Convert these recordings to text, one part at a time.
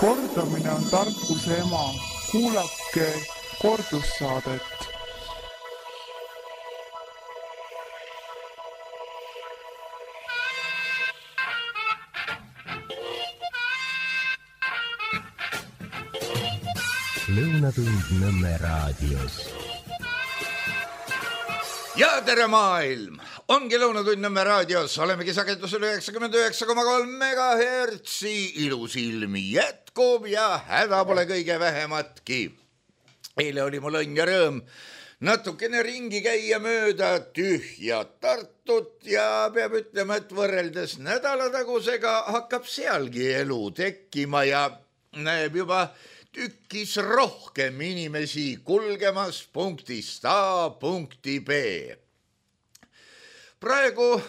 Kordamine on tarkuse ema. Kuulake kordussaadet. Lõunatund Nõmme raadios. Ja tere maailm! Ongi Lõunatund Nõmme raadios. Olemegi sagedusel 99,3 MHz. Ilus ilmi jätkub ja häda pole kõige vähematki. Eile oli mul õnn ja rõõm natukene ringi käia mööda tühja Tartut ja peab ütlema, et võrreldes nädalatagusega hakkab sealgi elu tekkima ja näeb juba tükkis rohkem inimesi kulgemas punktist A punkti B. Praegu,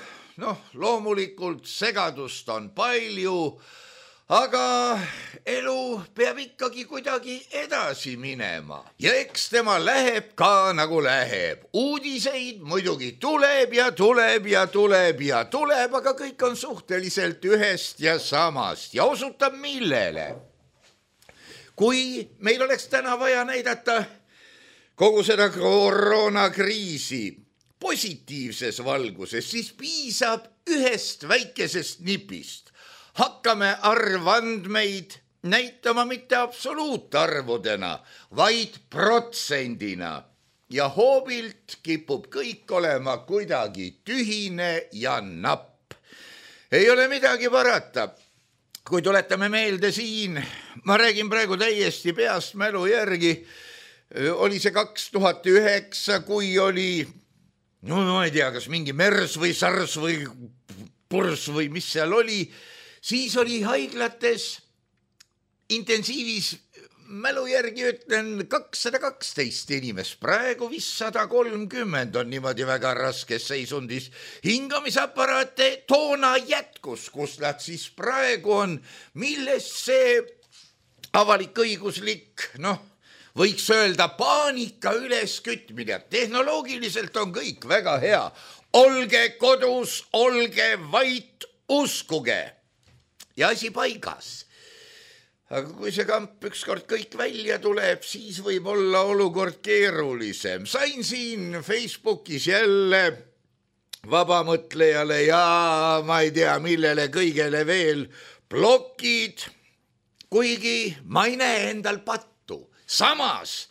loomulikult segadust on palju, aga elu peab ikkagi kuidagi edasi minema. Ja eks tema läheb ka nagu läheb. Uudiseid muidugi tuleb ja tuleb ja tuleb ja tuleb, aga kõik on suhteliselt ühest ja samast ja osutab millele. Kui meil oleks täna vaja näidata kogu seda koroonakriisi positiivses valguses, siis piisab ühest väikesest nipist. Hakkame arvandmeid näitama mitte absoluutarvudena, vaid protsendina. Ja hoobilt kipub kõik olema kuidagi tühine ja napp. Ei ole midagi parata. Kui tuletame meelde siin, ma räägin praegu täiesti peast mälu järgi, oli see 2009, kui oli, ma ei tea, kas mingi MERS või SARS või PURS või mis seal oli, siis oli haiglates intensiivis, mälu järgi ütlen, 212 inimest, praegu vist 130 on niimoodi väga raskes seisundis. Hingamisaparaate toona jätkus, kus nad siis praegu on, millest see avalik-õiguslik, võiks öelda paanika üleskütmine. Tehnoloogiliselt on kõik väga hea. Olge kodus, olge vait, uskuge. Ja asi paigas. Aga kui see kamp ükskord kõik välja tuleb, siis võib olla olukord keerulisem. Sain siin Facebookis jälle vabamõtlejale ja ma ei tea, millele kõigele veel blokid, kuigi ma ei näe endal pattu. Samas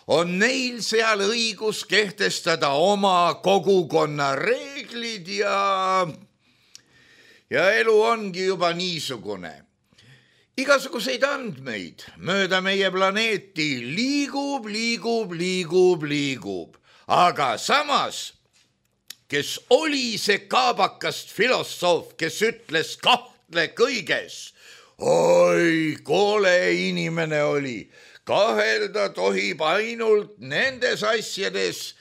on neil seal õigus kehtestada oma kogukonna reeglid ja elu ongi juba niisugune. Igasuguseid andmeid mööda meie planeeti liigub. Aga samas, kes oli see kaabakast filosoof, kes ütles kahtle kõiges, oi, kole inimene oli, kahelda tohib ainult nendes asjades,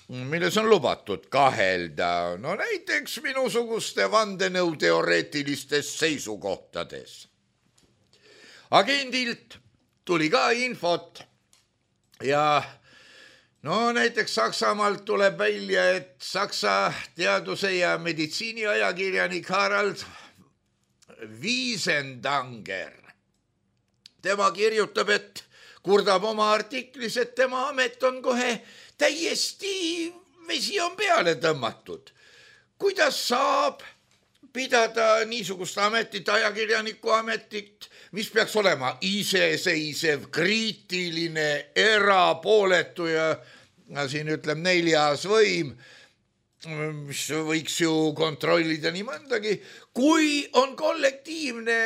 milles on lubatud kahelda, näiteks minusuguste vandenõuteoreetilistes seisukohtades. Agendilt tuli ka infot ja näiteks Saksamaalt tuleb välja, et Saksa teaduse ja meditsiiniajakirjanik Harald Wiesendanger. Tema kirjutab, et kurdab oma artiklis, et tema amet on kohe täiesti vesi on peale tõmmatud. Kuidas saab pidada niisugust ametit, ajakirjaniku ametit, mis peaks olema iseseisev, kriitiline, erapooletu ja siin ütleb 4. võim, mis võiks ju kontrollida nii mõndagi, kui on kollektiivne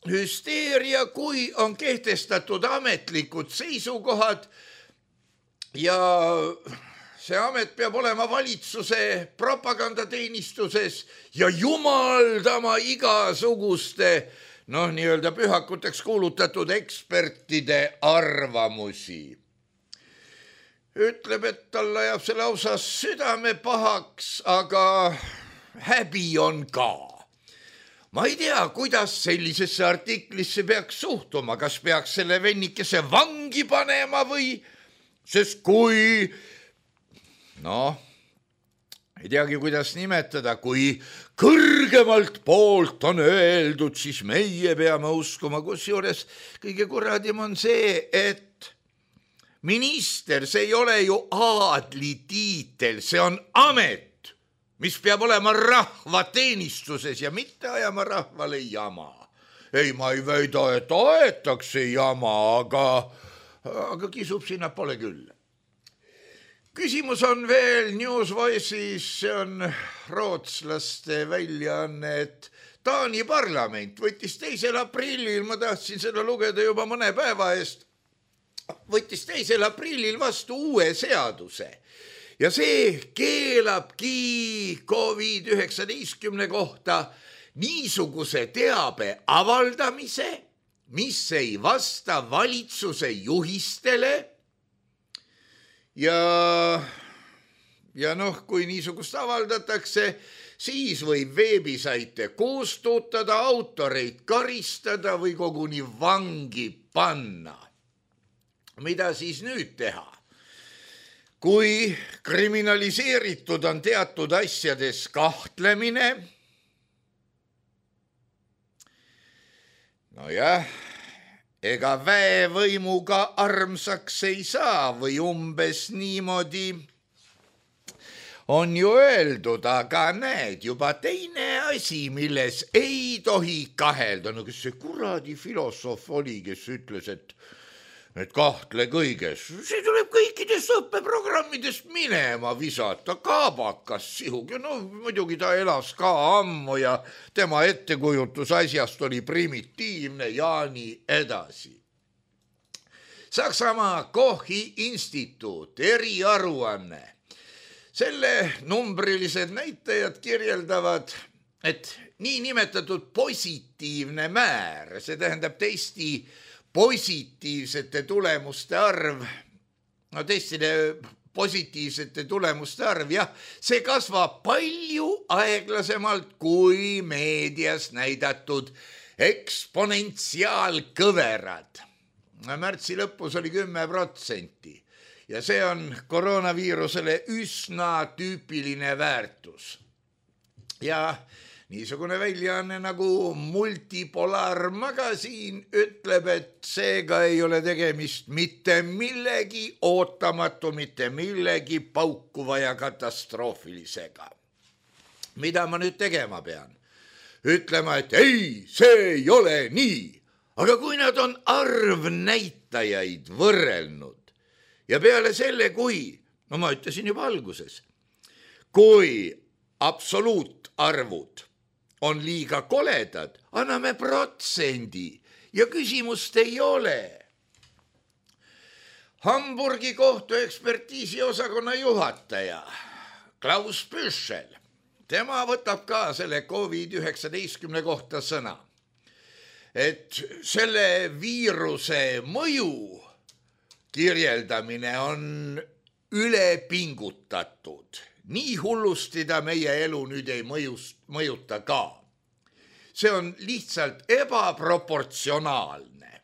hüsteeria, kui on kehtestatud ametlikud seisukohad ja see amet peab olema valitsuse propagandateenistuses ja jumaldama igasuguste, nii-öelda pühakuteks kuulutatud ekspertide arvamusi. Ütleb, et talle jääb see lausa südame pahaks, aga häbi on ka. Ma ei tea, kuidas sellisesse artiklisse peaks suhtuma, kas peaks selle vennikese vangi panema või, sest kui ei teagi, kuidas nimetada, kui kõrgemalt poolt on öeldud, siis meie peame uskuma, kusjuures kõige kuradim on see, et minister, see ei ole ju aadlitiitel, see on amet, mis peab olema rahvateenistuses ja mitte ajama rahvale jama. Ei, ma ei väida, et aetakse jama, aga kisub sinna pole küll. Küsimus on veel Newsvoice'is, see on rootslaste väljaanne, et Taani parlament võttis 2. aprillil, ma tahtsin seda lugeda juba mõne päeva eest, võttis 2. aprillil vastu uue seaduse ja see keelabki COVID-19 kohta niisuguse teabe avaldamise, mis ei vasta valitsuse juhistele ja kui niisugust avaldatakse, siis võib veebisaite kustutada, autoreid karistada või koguni vangi panna. Mida siis nüüd teha? Kui kriminaliseeritud on teatud asjades kahtlemine, nojah, ega väevõimuga armsaks ei saa või umbes niimoodi on ju öeldud, aga näed, juba teine asi, milles ei tohi kahelda. No kes see kuradi filosoof oli, kes ütles, et kahtle kõiges. See tuleb kõikidest õppeprogrammidest minema visata, kaabakas sihugi. No muidugi ta elas ka ammu ja tema ettekujutus asjast oli primitiivne ja nii edasi. Saksamaa Kochi instituut, eriaruanne. Selle numbrilised näitajad kirjeldavad, et nii nimetatud positiivne määr, see tähendab testi positiivsete tulemuste arv, no testide positiivsete tulemuste arv, jah, see kasvab palju aeglasemalt kui meedias näidatud eksponentsiaalkõverad. Märtsi lõpus oli 10% ja see on koroonaviirusele üsna tüüpiline väärtus. Ja niisugune väljaanne nagu Multipolaarmagasiin ütleb, et seega ei ole tegemist mitte millegi ootamatu, mitte millegi paukuva ja katastroofilisega. Mida ma nüüd tegema pean? Ütlema, et ei, see ei ole nii. Aga kui nad on arvnäitajaid võrrelnud ja peale selle, no ma ütlesin juba alguses, kui absoluutarvud on liiga koledad, anname protsendi ja küsimust ei ole. Hamburgi kohtuekspertiisi osakonna juhataja Klaus Püschel, tema võtab ka selle COVID-19 kohta sõna, et selle viiruse mõju kirjeldamine on ülepingutatud. Nii hullusti ta meie elu nüüd ei mõjuta ka. See on lihtsalt ebaproportsionaalne.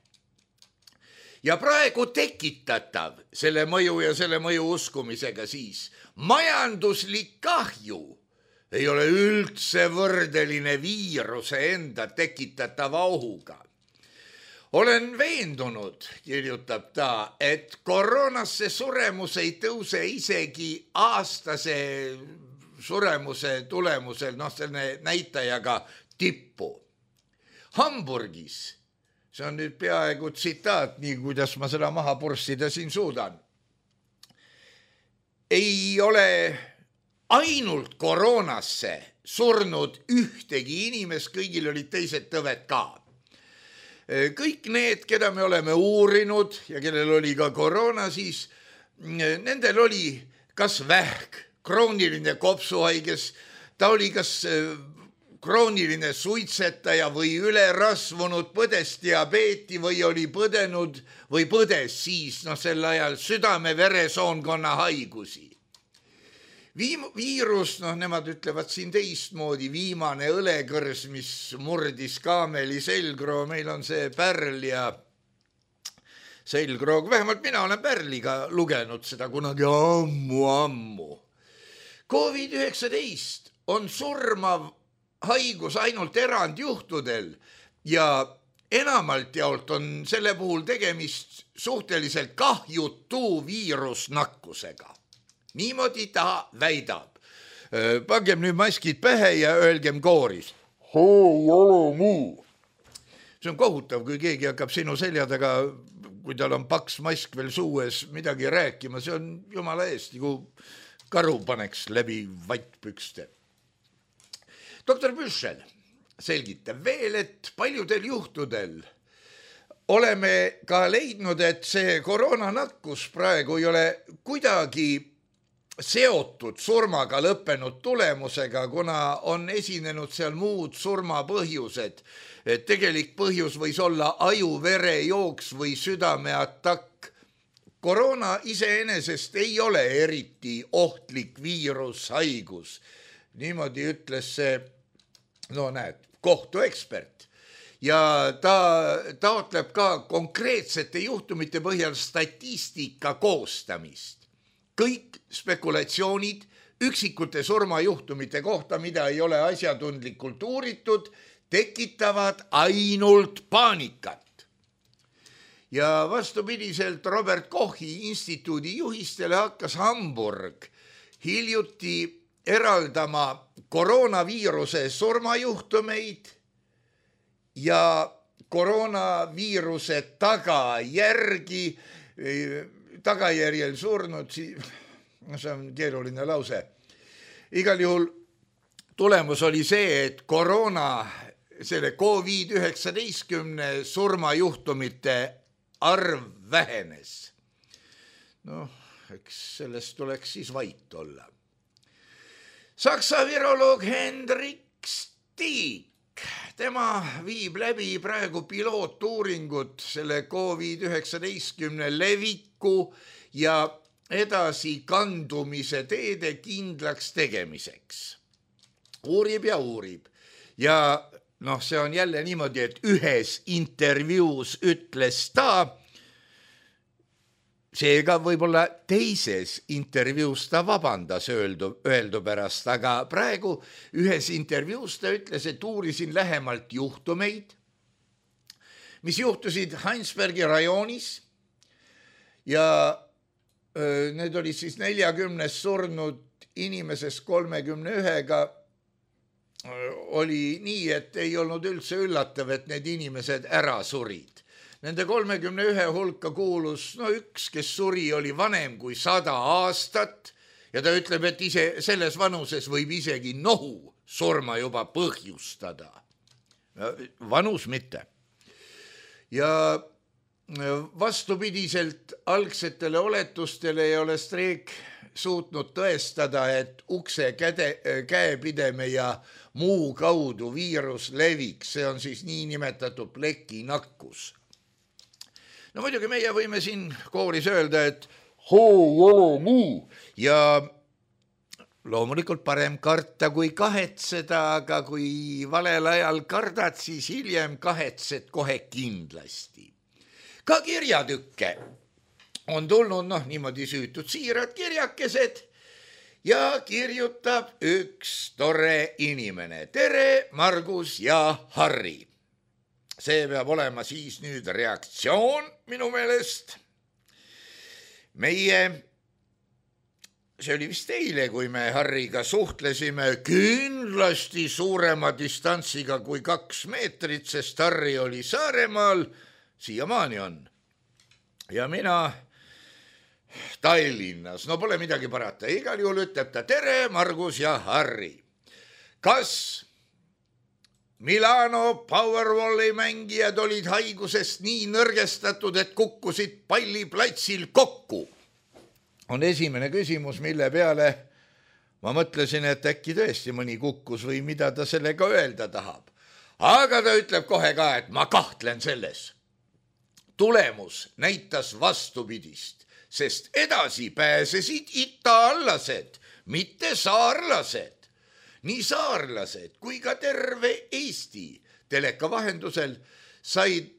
Ja praegu tekitatav selle mõju ja selle mõju uskumisega siis majanduslik kahju ei ole üldse võrdeline viiruse enda tekitatava ohuga. Olen veendunud, kirjutab ta, et koroonasse suremus ei tõuse isegi aastase suremuse tulemusel, selle näitajaga tippu. Hamburgis, see on nüüd peaaegu tsitaat, nii kuidas ma seda maha purssida siin suudan, ei ole ainult koroonasse surnud ühtegi inimest, kõigil olid teised tõved ka. Kõik need, keda me oleme uurinud ja kellel oli ka koroona, siis nendel oli kas vähk, krooniline kopsuhaiges, ta oli kas krooniline suitsetaja või ülerasvunud, põdes diabeeti või oli põdenud või põdes siis sel ajal südame-veresoonkonna haigusi. Viirus, nemad ütlevad siin teistmoodi, viimane õlekõrs, mis murdis kaameli selgroo, meil on see pärl ja selgroog, vähemalt mina olen pärliga lugenud seda kunagi ammu. COVID-19 on surmav haigus ainult erandjuhtudel ja enamalt jaolt on selle puhul tegemist suhteliselt kahjutu viirusnakkusega. Niimoodi ta väidab. Pangem nüüd maskid pähe ja öelgem kooris. see ei ole nii. See on kohutav, kui keegi hakkab sinu selja taga, kui tal on paks mask veel suues midagi rääkima, see on jumala eest, nagu karu paneks läbi vattpükste. Doktor Büschel selgitab veel, et paljudel juhtudel oleme ka leidnud, et see koroonanakkus praegu ei ole kuidagi seotud surmaga lõppenud tulemusega, kuna on esinenud seal muud surmapõhjused. Tegelik põhjus võis olla ajuverejooks või südameatakk. Koroona iseenesest ei ole eriti ohtlik viirushaigus. Niimoodi ütles see, kohtuekspert. Ja ta taotleb ka konkreetsete juhtumite põhjal statistika koostamist. Kõik spekulatsioonid üksikute surmajuhtumite kohta, mida ei ole asjatundlikult uuritud, tekitavad ainult paanikat. Ja vastupidiselt Robert Kochi instituudi juhistele hakkas Hamburg hiljuti eraldama koroonaviiruse surmajuhtumeid ja koroonaviiruse tagajärjel surnud, see on keeruline lause. Igal juhul tulemus oli see, et selle COVID-19 surmajuhtumite arv vähenes. Eks sellest tuleks siis vait olla. Saksa viroloog Hendrik Stiik, tema viib läbi praegu pilootuuringut selle COVID-19 leviku ja edasi kandumise teede kindlaks tegemiseks. Uurib ja uurib. Ja see on jälle niimoodi, et ühes intervjuus ütles ta, seega võib-olla teises intervjuus ta vabandas öeldu pärast, aga praegu ühes intervjuus ta ütles, et uurisin lähemalt juhtumeid, mis juhtusid Heinsbergi rajoonis ja need olid siis 40 surnud inimesest 31-ga oli nii, et ei olnud üldse üllatav, et need inimesed ära surid. Nende 31 hulka kuulus üks, kes suri, oli vanem kui 100 aastat ja ta ütleb, et ise selles vanuses võib isegi nohu surma juba põhjustada. Vanus mitte. Ja vastupidiselt algsetele oletustele ei ole Streeck suutnud tõestada, et ukse käepideme ja muu kaudu viirus leviks. See on siis niinimetatud plekinakkus. Muidugi meie võime siin kooris öelda, et see ei ole nii. Ja loomulikult parem karta kui kahetseda, aga kui valel ajal kardad, siis hiljem kahetsed kohe kindlasti. Ka kirjatükke on tulnud niimoodi süütud siirad kirjakesed ja kirjutab üks tore inimene. Tere, Margus ja Harri. See peab olema siis nüüd reaktsioon minu meelest. See oli vist eile, kui me Harriga suhtlesime kindlasti suurema distantsiga kui 2 meetrit, sest Harri oli Saaremaal, siiamaani on. Ja mina Tallinnas, pole midagi parata. Igal juhul ütleb ta, tere, Margus ja Harri. Kas Milano Powerwalli mängijad olid haigusest nii nõrgestatud, et kukkusid palliplatsil kokku? On esimene küsimus, mille peale ma mõtlesin, et äkki tõesti mõni kukkus või mida ta sellega öelda tahab. Aga ta ütleb kohe ka, et ma kahtlen selles. Tulemus näitas vastupidist, sest edasi pääsesid itaallased, mitte saarlased. Nii saarlased kui ka terve Eesti teleka vahendusel said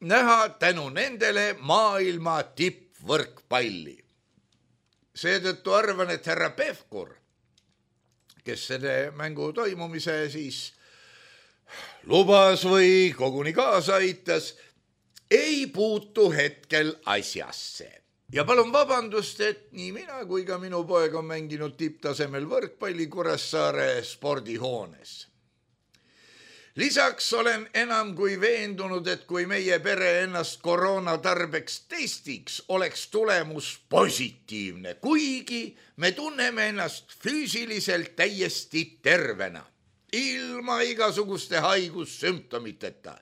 näha tänu nendele maailma tippvõrkpalli. Seetõttu arvan, et härra Pevkur, kes selle mängu toimumise siis lubas või koguni kaasa aitas, ei puutu hetkel asjasse. Ja palun vabandust, et nii mina kui ka minu poeg on mänginud tipptasemel võrkpalli Kuressaare spordihoones. Lisaks olen enam kui veendunud, et kui meie pere ennast koroona tarbeks testiks, oleks tulemus positiivne, kuigi me tunneme ennast füüsiliselt täiesti tervena, ilma igasuguste haigussümptomiteta.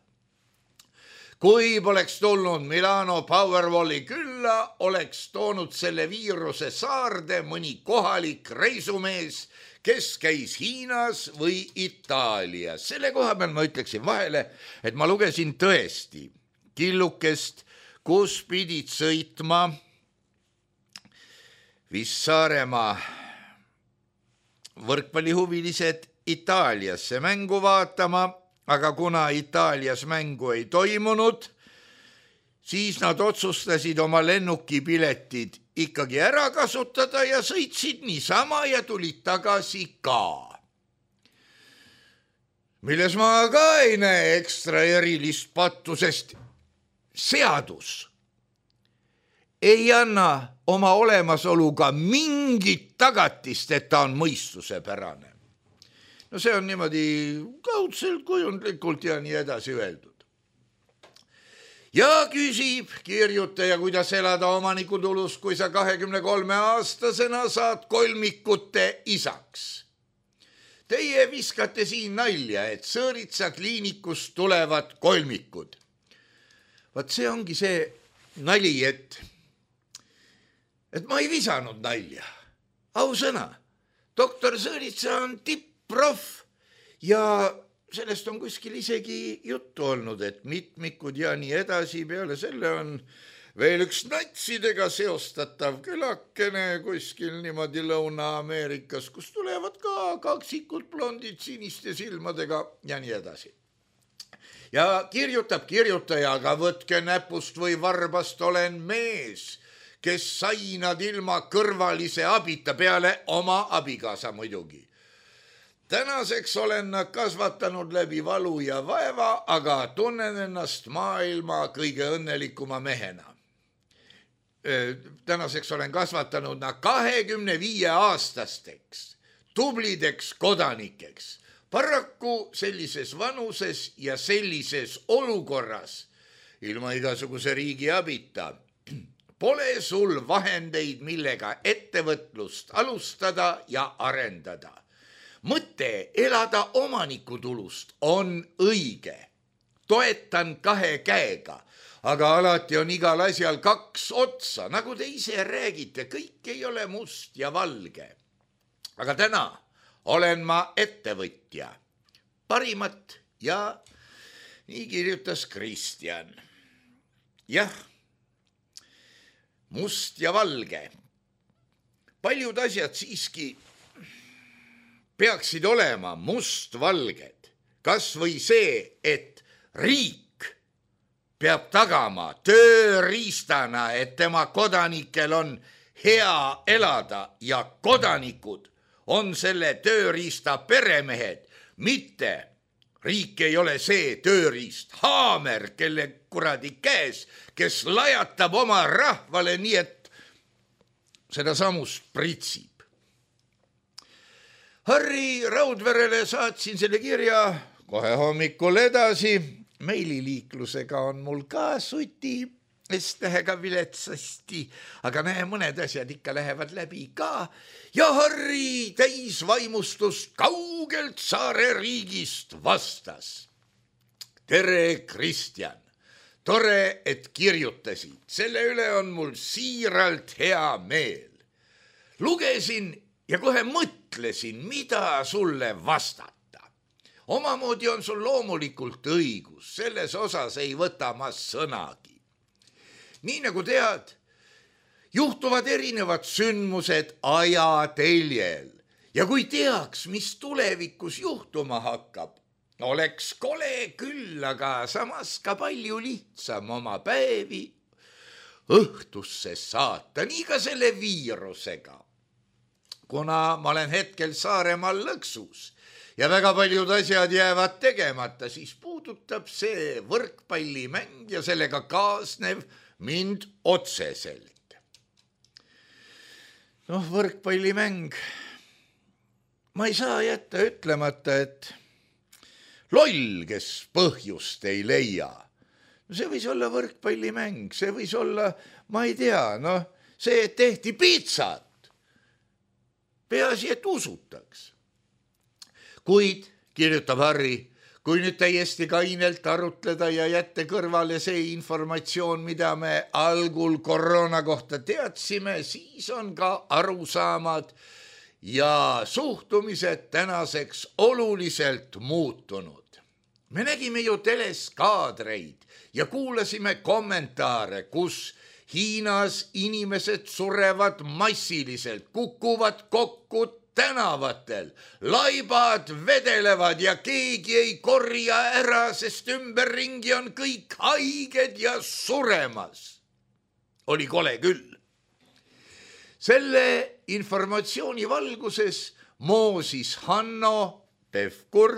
Kui poleks tulnud Milano Powerwalli külla, oleks toonud selle viiruse saarde mõni kohalik reisumees, kes käis Hiinas või Itaalias. Selle koha peal ma ütleksin vahele, et ma lugesin tõesti killukest, kus pidid sõitma vist Saaremaa võrkpallihuvilised Itaaliasse mängu vaatama, aga kuna Itaalias mängu ei toimunud, siis nad otsustasid oma lennukipiletid ikkagi ära kasutada ja sõitsid niisama ja tulid tagasi ka. Milles ma ka ei näe ekstra erilist pattu, sest seadus ei anna oma olemasoluga mingit tagatist, et ta on mõistusepärane. No see on niimoodi kaudselt, kujundlikult ja nii edasi öeldud. Ja küsib kirjutaja, kuidas elada omanikutulus, kui sa 23-aastasena saad kolmikute isaks. Teie viskate siin nalja, et Sõõritsa kliinikust tulevad kolmikud. Vaat see ongi see nali, et ma ei visanud nalja. Ausõna, doktor Sõõritsa on prof ja sellest on kuskil isegi juttu olnud, et mitmikud ja nii edasi. Peale selle on veel üks natsidega seostatav külakene kuskil niimoodi Lõuna-Ameerikas, kus tulevad ka kaksikud blondid siniste silmadega ja nii edasi. Ja kirjutab kirjutaja, aga võtke näpust või varbast, olen mees, kes sai nad ilma kõrvalise abita, peale oma abikaasa muidugi. Tänaseks olen nad kasvatanud läbi valu ja vaeva, aga tunnen ennast maailma kõige õnnelikuma mehena. Tänaseks olen kasvatanud nad 25-aastasteks, tublideks kodanikeks. Paraku sellises vanuses ja sellises olukorras, ilma igasuguse riigi abita, pole sul vahendeid, millega ettevõtlust alustada ja arendada. Mõte elada omanikutulust on õige. Toetan 2 käega, aga alati on igal asjal 2 otsa. Nagu te ise räägite, kõik ei ole must ja valge. Aga täna olen ma ettevõtja. Parimat ja nii kirjutas Kristjan. Jah, must ja valge. Paljud asjad siiski peaksid olema mustvalged, kas või see, et riik peab tagama tööriistana, et tema kodanikel on hea elada ja kodanikud on selle tööriista peremehed, mitte riik ei ole see tööriist, haamer, kelle kuradi käes, kes lajatab oma rahvale nii, et seda samust pritsib. Harri Raudverele saatsin selle kirja kohe hommikul edasi. Meililiiklusega on mul ka suti S-tähega viletsasti, aga näe, mõned asjad ikka lähevad läbi ka. Ja Harri täis vaimustust kaugelt Saare riigist vastas. Tere, Kristjan! Tore, et kirjutasid. Selle üle on mul siiralt hea meel. Lugesin ja kohe mõtlesin, mida sulle vastata. Omamoodi on sul loomulikult õigus, selles osas ei võta ma sõnagi. Nii nagu tead, juhtuvad erinevad sündmused ajateljel ja kui teaks, mis tulevikus juhtuma hakkab, oleks kole küll, aga samas ka palju lihtsam oma päevi õhtusse saata, nii ka selle viirusega. Kuna ma olen hetkel Saaremaal lõksus, ja väga paljud asjad jäävad tegemata, siis puudutab see võrkpallimäng ja sellega kaasnev mind otseselt. Võrkpallimäng. Ma ei saa jätta ütlemata, et loll, kes põhjust ei leia. See võis olla võrkpallimäng, see võis olla, ma ei tea, see, et tehti piitsat. Peaasi, et usutaks. Kuid, kirjutab Harri, kui nüüd täiesti kainelt arutleda ja jätta kõrvale see informatsioon, mida me algul koroona kohta teadsime, siis on ka arusaamad ja suhtumised tänaseks oluliselt muutunud. Me nägime ju teles kaadreid ja kuulasime kommentaare, kus Hiinas inimesed surevad massiliselt, kukuvad kokku tänavatel, laibad vedelevad ja keegi ei korja ära, sest ümberringi on kõik haiged ja suremas. Oli kole küll. Selle informatsiooni valguses moosis Hanno Pevkur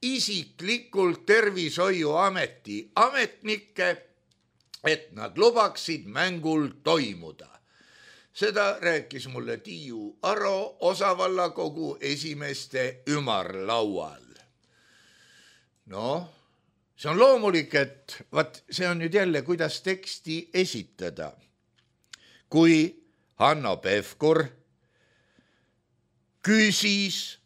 isiklikult tervishoiuameti ametnikke, et nad lubaksid mängul toimuda. Seda rääkis mulle Tiiu Aro osavallakogu esimeste ümarlaual. See on loomulik, et see on nüüd jälle, kuidas teksti esitada. Kui Hanno Pevkur küsis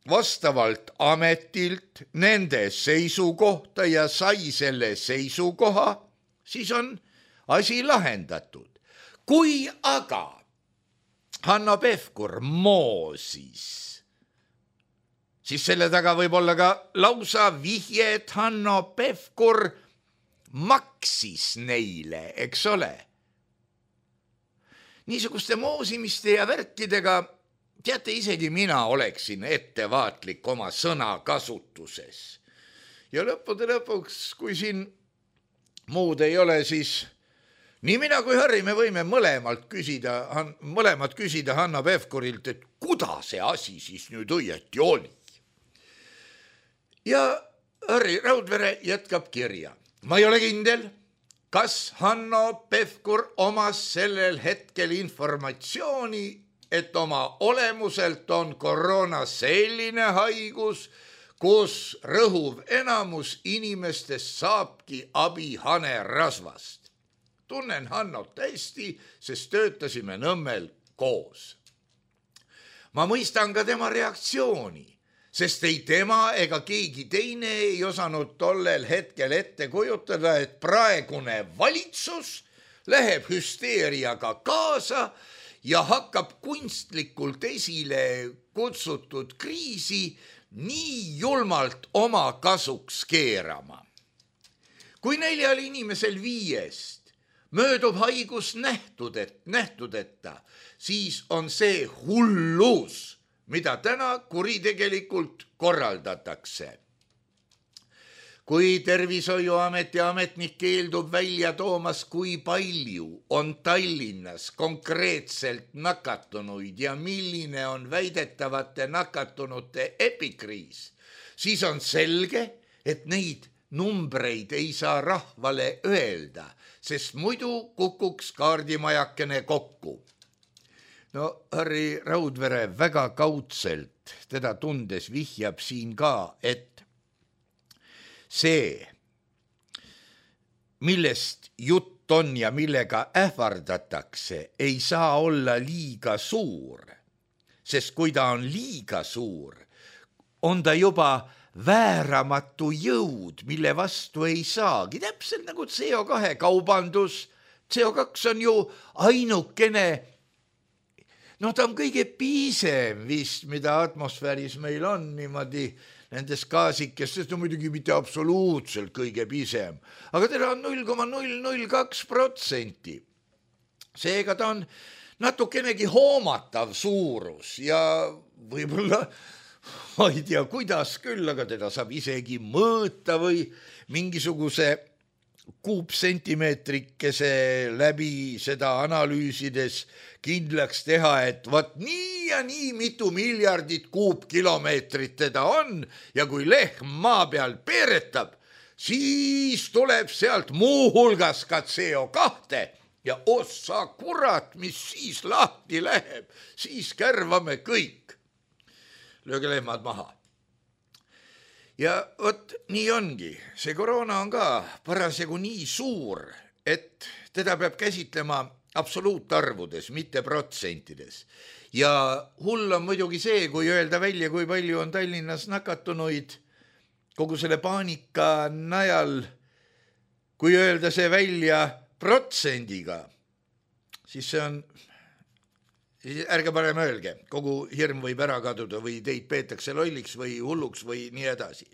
vastavalt ametilt nende seisukohta ja sai selle seisukoha, siis on asi lahendatud. Kui aga Hanno Pevkur moosis, siis selle taga võib olla ka lausa vihje, et Hanno Pevkur maksis neile, eks ole. Niisuguste moosimiste ja värkidega, teate, isegi mina oleksin ettevaatlik oma sõnakasutuses. Ja lõppude lõpuks, kui siin muud ei ole, siis nii mina kui Harri, me võime mõlemad küsida Hanno Pevkurilt, et kuidas see asi siis nüüd õieti oli. Ja Harri Raudvere jätkab kirja. Ma ei ole kindel, kas Hanno Pevkur omas sellel hetkel informatsiooni, et oma olemuselt on koroona selline haigus, kus rõhuv enamus inimestest saabki abi hanerasvast. Tunnen Hannot hästi, sest töötasime Nõmmel koos. Ma mõistan ka tema reaktsiooni, sest ei tema ega keegi teine ei osanud tollel hetkel ette kujutada, et praegune valitsus läheb hüsteeriaga kaasa ja hakkab kunstlikult esile kutsutud kriisi nii julmalt oma kasuks keerama. Kui 4 inimesel 5 möödub haigus nähtudeta, siis on see hullus, mida täna kuritegelikult korraldatakse. Kui Tervishoiuameti ametnik keeldub välja toomas, kui palju on Tallinnas konkreetselt nakatunuid ja milline on väidetavate nakatunute epikriis, siis on selge, et neid numbreid ei saa rahvale öelda, sest muidu kukuks kaardimajakene kokku. Harri Raudvere väga kaudselt teda tundes vihjab siin ka, et see, millest jutt on ja millega ähvardatakse, ei saa olla liiga suur, sest kui ta on liiga suur, on ta juba vääramatu jõud, mille vastu ei saagi. Täpselt nagu CO2 kaubandus. CO2 on ju ainukene, ta on kõige piisem vist, mida atmosfääris meil on niimoodi nendes gaasikestes, muidugi mitte absoluutselt kõige piisem, aga teda on 0,002%. Seega ta on natukenegi hoomatav suurus ja võib-olla ma ei tea, kuidas küll, aga teda saab isegi mõõta või mingisuguse kuupsentimeetrikese läbi seda analüüsides kindlaks teha, et vat nii ja nii mitu miljardit kuupkilomeetrit teda on ja kui lehm maa peal peeretab, siis tuleb sealt muuhulgas ka CO2 ja ossa kurat, mis siis lahti läheb, siis kärvame kõik. Lööge lehmad maha. Ja vot nii ongi, see koroona on ka parasjagu nii suur, et teda peab käsitlema absoluutarvudes, mitte protsentides. Ja hull on muidugi see, kui öelda välja, kui palju on Tallinnas nakatunuid kogu selle paanika najal, kui öelda see välja protsendiga, siis see on, ärge parem öelge, kogu hirm võib ära kaduda või teid peetakse lolliks või hulluks või nii edasi.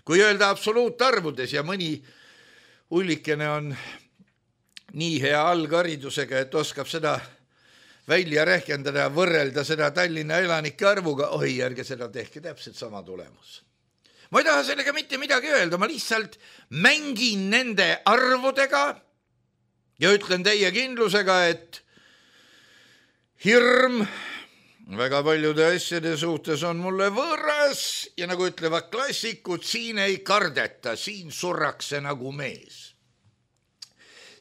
Kui öelda absoluutarvudes ja mõni hullikene on nii hea algharidusega, et oskab seda välja rehkendada ja võrrelda seda Tallinna elanike arvuga, oi, ärge seda tehke, täpselt sama tulemus. Ma ei taha sellega mitte midagi öelda, ma lihtsalt mängin nende arvudega ja ütlen teie kindlusega, et hirm väga paljude asjade suhtes on mulle võõras ja nagu ütlevad klassikud, siin ei kardeta, siin surrakse nagu mees.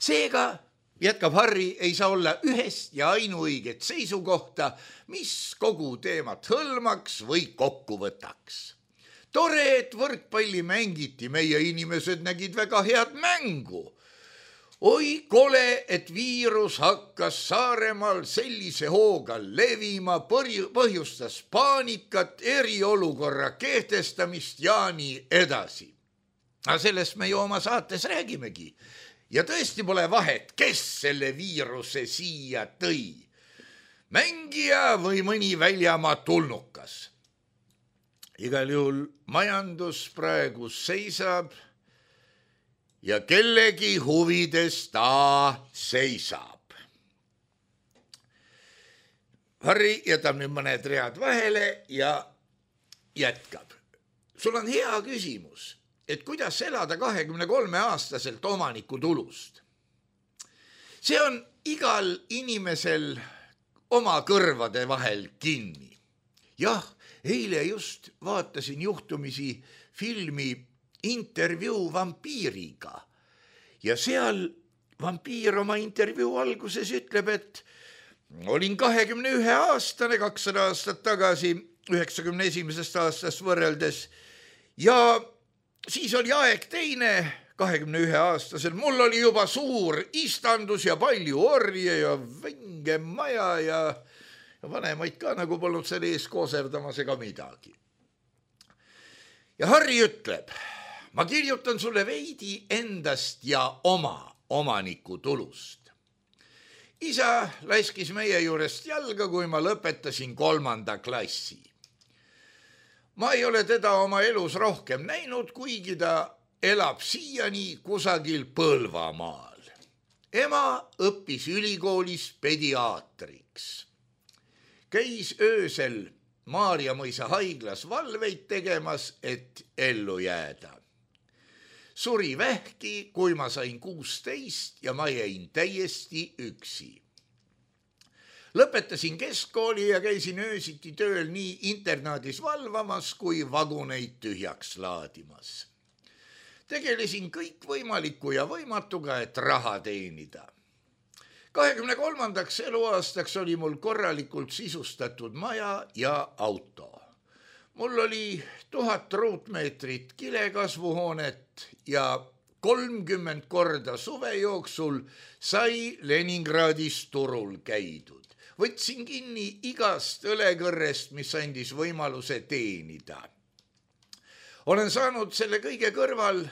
Seega, jätkab Harri, ei saa olla ühest ja ainuõiget seisukohta, mis kogu teemat hõlmaks või kokku võtaks. Tore, et võrkpalli mängiti, meie inimesed nägid väga head mängu. Oi kole, et viirus hakkas Saaremaal sellise hooga levima, põhjustas paanikat, eriolukorra kehtestamist ja nii edasi. Aga sellest me ju oma saates räägimegi. Ja tõesti pole vahet, kes selle viiruse siia tõi. Mängija või mõni väljamaa tulnukas. Igal juhul majandus praegu seisab ja kellegi huvides ta seisab. Harri jätab nüüd mõned read vahele ja jätkab. Sul on hea küsimus, et kuidas elada 23-aastaselt omaniku tulust. See on igal inimesel oma kõrvade vahel kinni. Jah, eile just vaatasin juhtumisi filmi Intervjuu vampiiriga ja seal vampiir oma intervjuu alguses ütleb, et olin 21-aastane 200 aastat tagasi, 91. aastast võrreldes ja siis oli aeg teine, 21-aastasel, mul oli juba suur istandus ja palju orje ja venge maja ja vanemaid ka nagu polnud selle ees kooserdamas ega midagi. Ja Harri ütleb, ma kirjutan sulle veidi endast ja oma omaniku tulust. Isa laskis meie juurest jalga, kui ma lõpetasin 3. klassi. Ma ei ole teda oma elus rohkem näinud, kuigi ta elab siiani kusagil Põlvamaal. Ema õppis ülikoolis pediaatriks. Käis öösel Maarjamõisa haiglas valveid tegemas, et ellu jääda. Suri vähki, kui ma sain 16 ja ma jäin täiesti üksi. Lõpetasin keskkooli ja käisin öösiti tööl nii internaadis valvamas kui vaguneid tühjaks laadimas. Tegelesin kõikvõimaliku ja võimatuga, et raha teenida. 23. eluaastaks oli mul korralikult sisustatud maja ja auto. Mul oli 1000 ruutmeetrit kilekasvuhoonet ja 30 korda suve jooksul sai Leningradis turul käidud. Võtsin kinni igast õlekõrrest, mis andis võimaluse teenida. Olen saanud selle kõige kõrval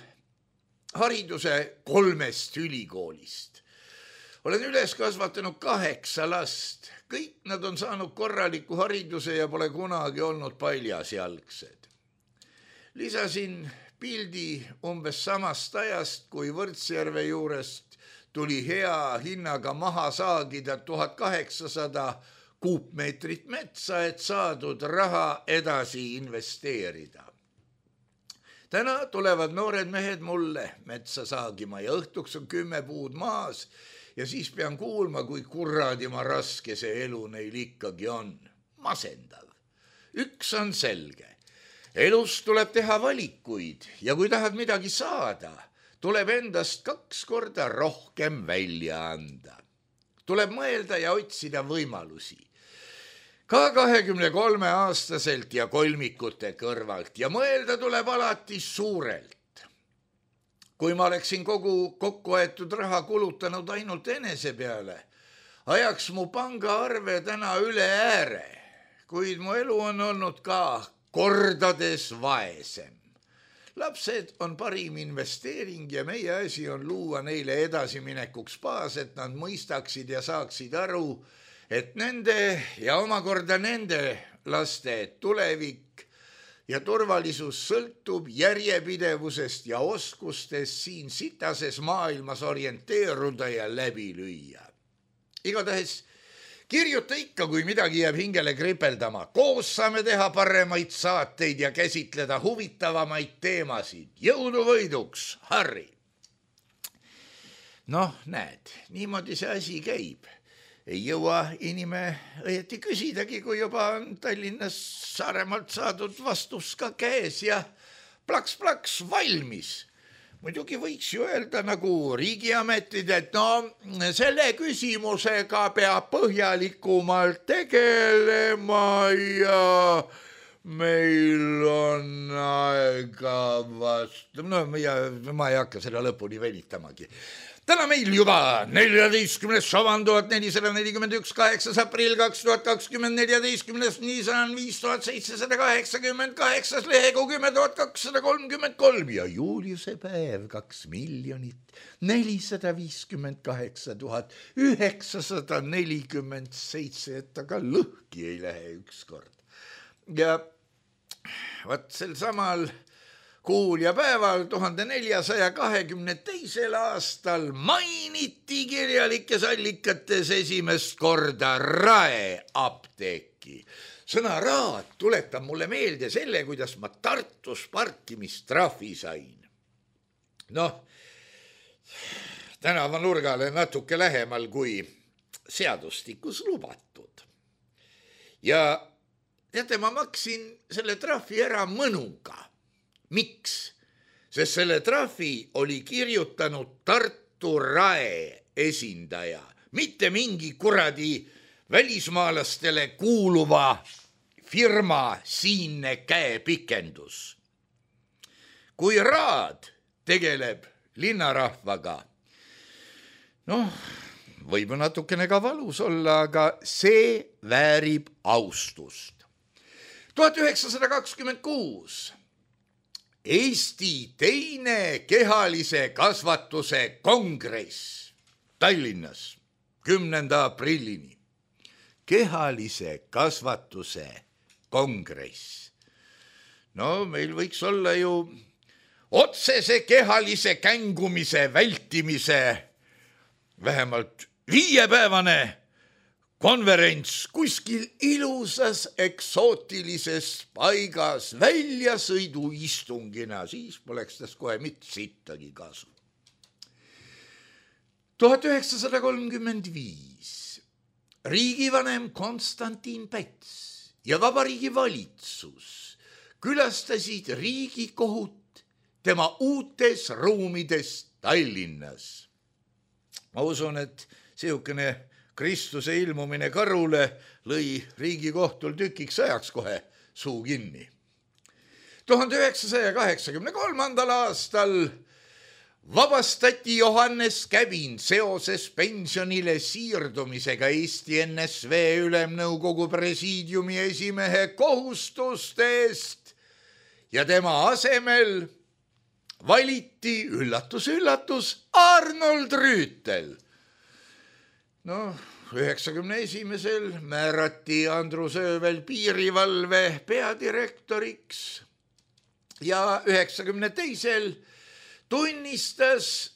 hariduse 3 ülikoolist. Olen üles kasvatanud 8 last. Kõik nad on saanud korraliku hariduse ja pole kunagi olnud paljasjalgsed. Lisasin pildi umbes samast ajast, kui Võrtsjärve juurest tuli hea hinnaga maha saagida 1800 kuupmeetrit metsa, et saadud raha edasi investeerida. täna tulevad noored mehed mulle metsa saagima ja õhtuks on 10 puud maas ja siis pean kuulma, kui kurradima raske see elu neil ikkagi on. Masendav. Üks on selge. Elus tuleb teha valikuid ja kui tahad midagi saada, tuleb endast 2 korda rohkem välja anda. Tuleb mõelda ja otsida võimalusi. Ka 23-aastaselt ja kolmikute kõrvalt ja mõelda tuleb alati suurelt. Kui ma oleksin kogu kokkuaetud raha kulutanud ainult enese peale, ajaks mu pangaarve täna üle ääre, kuid mu elu on olnud ka kordades vaesem. Lapsed on parim investeering ja meie asi on luua neile edasiminekuks baas, et nad mõistaksid ja saaksid aru, et nende ja omakorda nende laste tulevik ja turvalisus sõltub järjepidevusest ja oskustest siin sitases maailmas orienteeruda ja läbi lüüa. Igatahes kirjuta ikka, kui midagi jääb hingele kripeldama. Koos saame teha paremaid saateid ja käsitleda huvitavamaid teemasid. Jõudu võiduks, Harri! Noh, näed, niimoodi see asi käib. Ei jõua inime õieti küsidagi, kui juba on Tallinnas Saaremaalt saadud vastus ka käes ja plaks-plaks valmis. Muidugi võiks ju öelda nagu riigiametid, et no selle küsimusega peab põhjalikumalt tegelema ja meil on aega vastu. No ma ei hakka seda lõpuni venitamagi. Täna meil juba 14. sovan 1441, 8. aprill 2020, 14. niisan 5788, lehegu 10,233 ja Juliuse päev 2 458 947, et aga lõhki ei lähe ükskord. Ja vaat sel samal kuul ja päeval 1422. aastal mainiti kirjalikes allikates esimest korda Raeapteeki. Sõna raad tuletab mulle meelde selle, kuidas ma Tartus parkimistrahvi sain. Noh, tänavanurgale natuke lähemal kui seadustikus lubatud. Ja teate, ma maksin selle trahvi ära mõnuga. Miks? Sest selle trahvi oli kirjutanud Tartu Rae esindaja, mitte mingi kuradi välismaalastele kuuluva firma siinne käepikendus. Kui raad tegeleb linnarahvaga, noh, võib natukene ka valus olla, aga see väärib austust. 1926 Eesti teine kehalise kasvatuse kongress Tallinnas 10. aprillini. Kehalise kasvatuse kongress. No meil võiks olla ju otsese kehalise kängumise vältimise vähemalt 5-päevane konverents kuskil ilusas eksootilises paigas väljasõiduistungina, siis poleks tast kohe mitte sittagi kasu. 1935 riigivanem Konstantin Päts ja Vabariigi valitsus külastasid Riigikohut tema uutes ruumides Tallinnas. Ma usun, et seukene Kristuse ilmumine Karule lõi Riigikohtul tükiks ajaks kohe suu kinni. 1983. aastal vabastati Johannes Käbin seoses pensionile siirdumisega Eesti NSV Ülemnõukogu presiidiumi esimehe kohustustest ja tema asemel valiti, üllatus, Arnold Rüütel. No, 91. määrati Andrus Öövel piirivalve peadirektoriks ja 92. tunnistas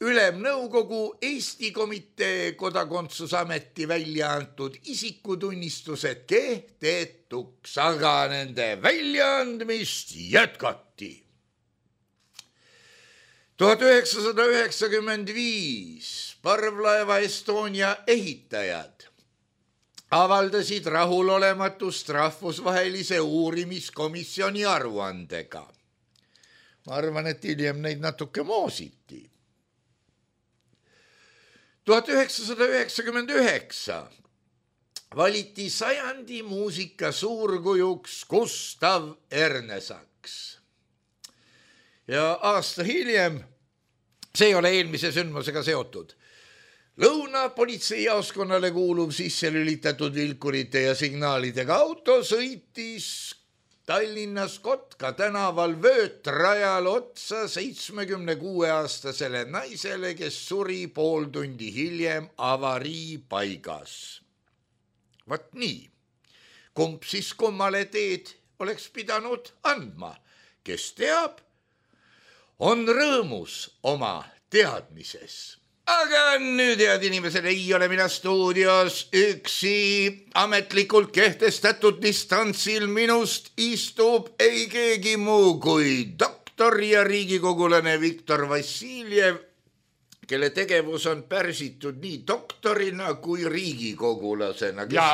Ülemnõukogu Eesti Komitee Kodakondsusameti välja antud isikutunnistused kehtetuks, aga nende väljaandmist jätkati. 1995 parvlaeva Estonia ehitajad avaldasid rahulolematust rahvusvahelise uurimiskomisjoni aruandega. Ma arvan, et hiljem neid natuke moositi. 1999 valiti sajandi muusika suurkujuks Gustav Ernesaks. Ja aasta hiljem, see ei ole eelmise sündmusega seotud, Lõunapolitseijaoskonnale kuuluv sisselülitatud vilkurite ja signaalidega auto sõitis Tallinnas Kotka tänaval vöötrajal otsa 76-aastasele naisele, kes suri pool tundi hiljem avarii paigas. Vat nii, kumb siis kummale teed oleks pidanud andma, kes teab, on rõõmus oma teadmises. Aga nüüd, head inimesed, ei ole mina stuudios üksi. Ametlikult kehtestatud distantsil minust istub ei keegi muu kui doktor ja riigikogulane Viktor Vassiljev, kelle tegevus on pärsitud nii doktorina kui riigikogulasena, kes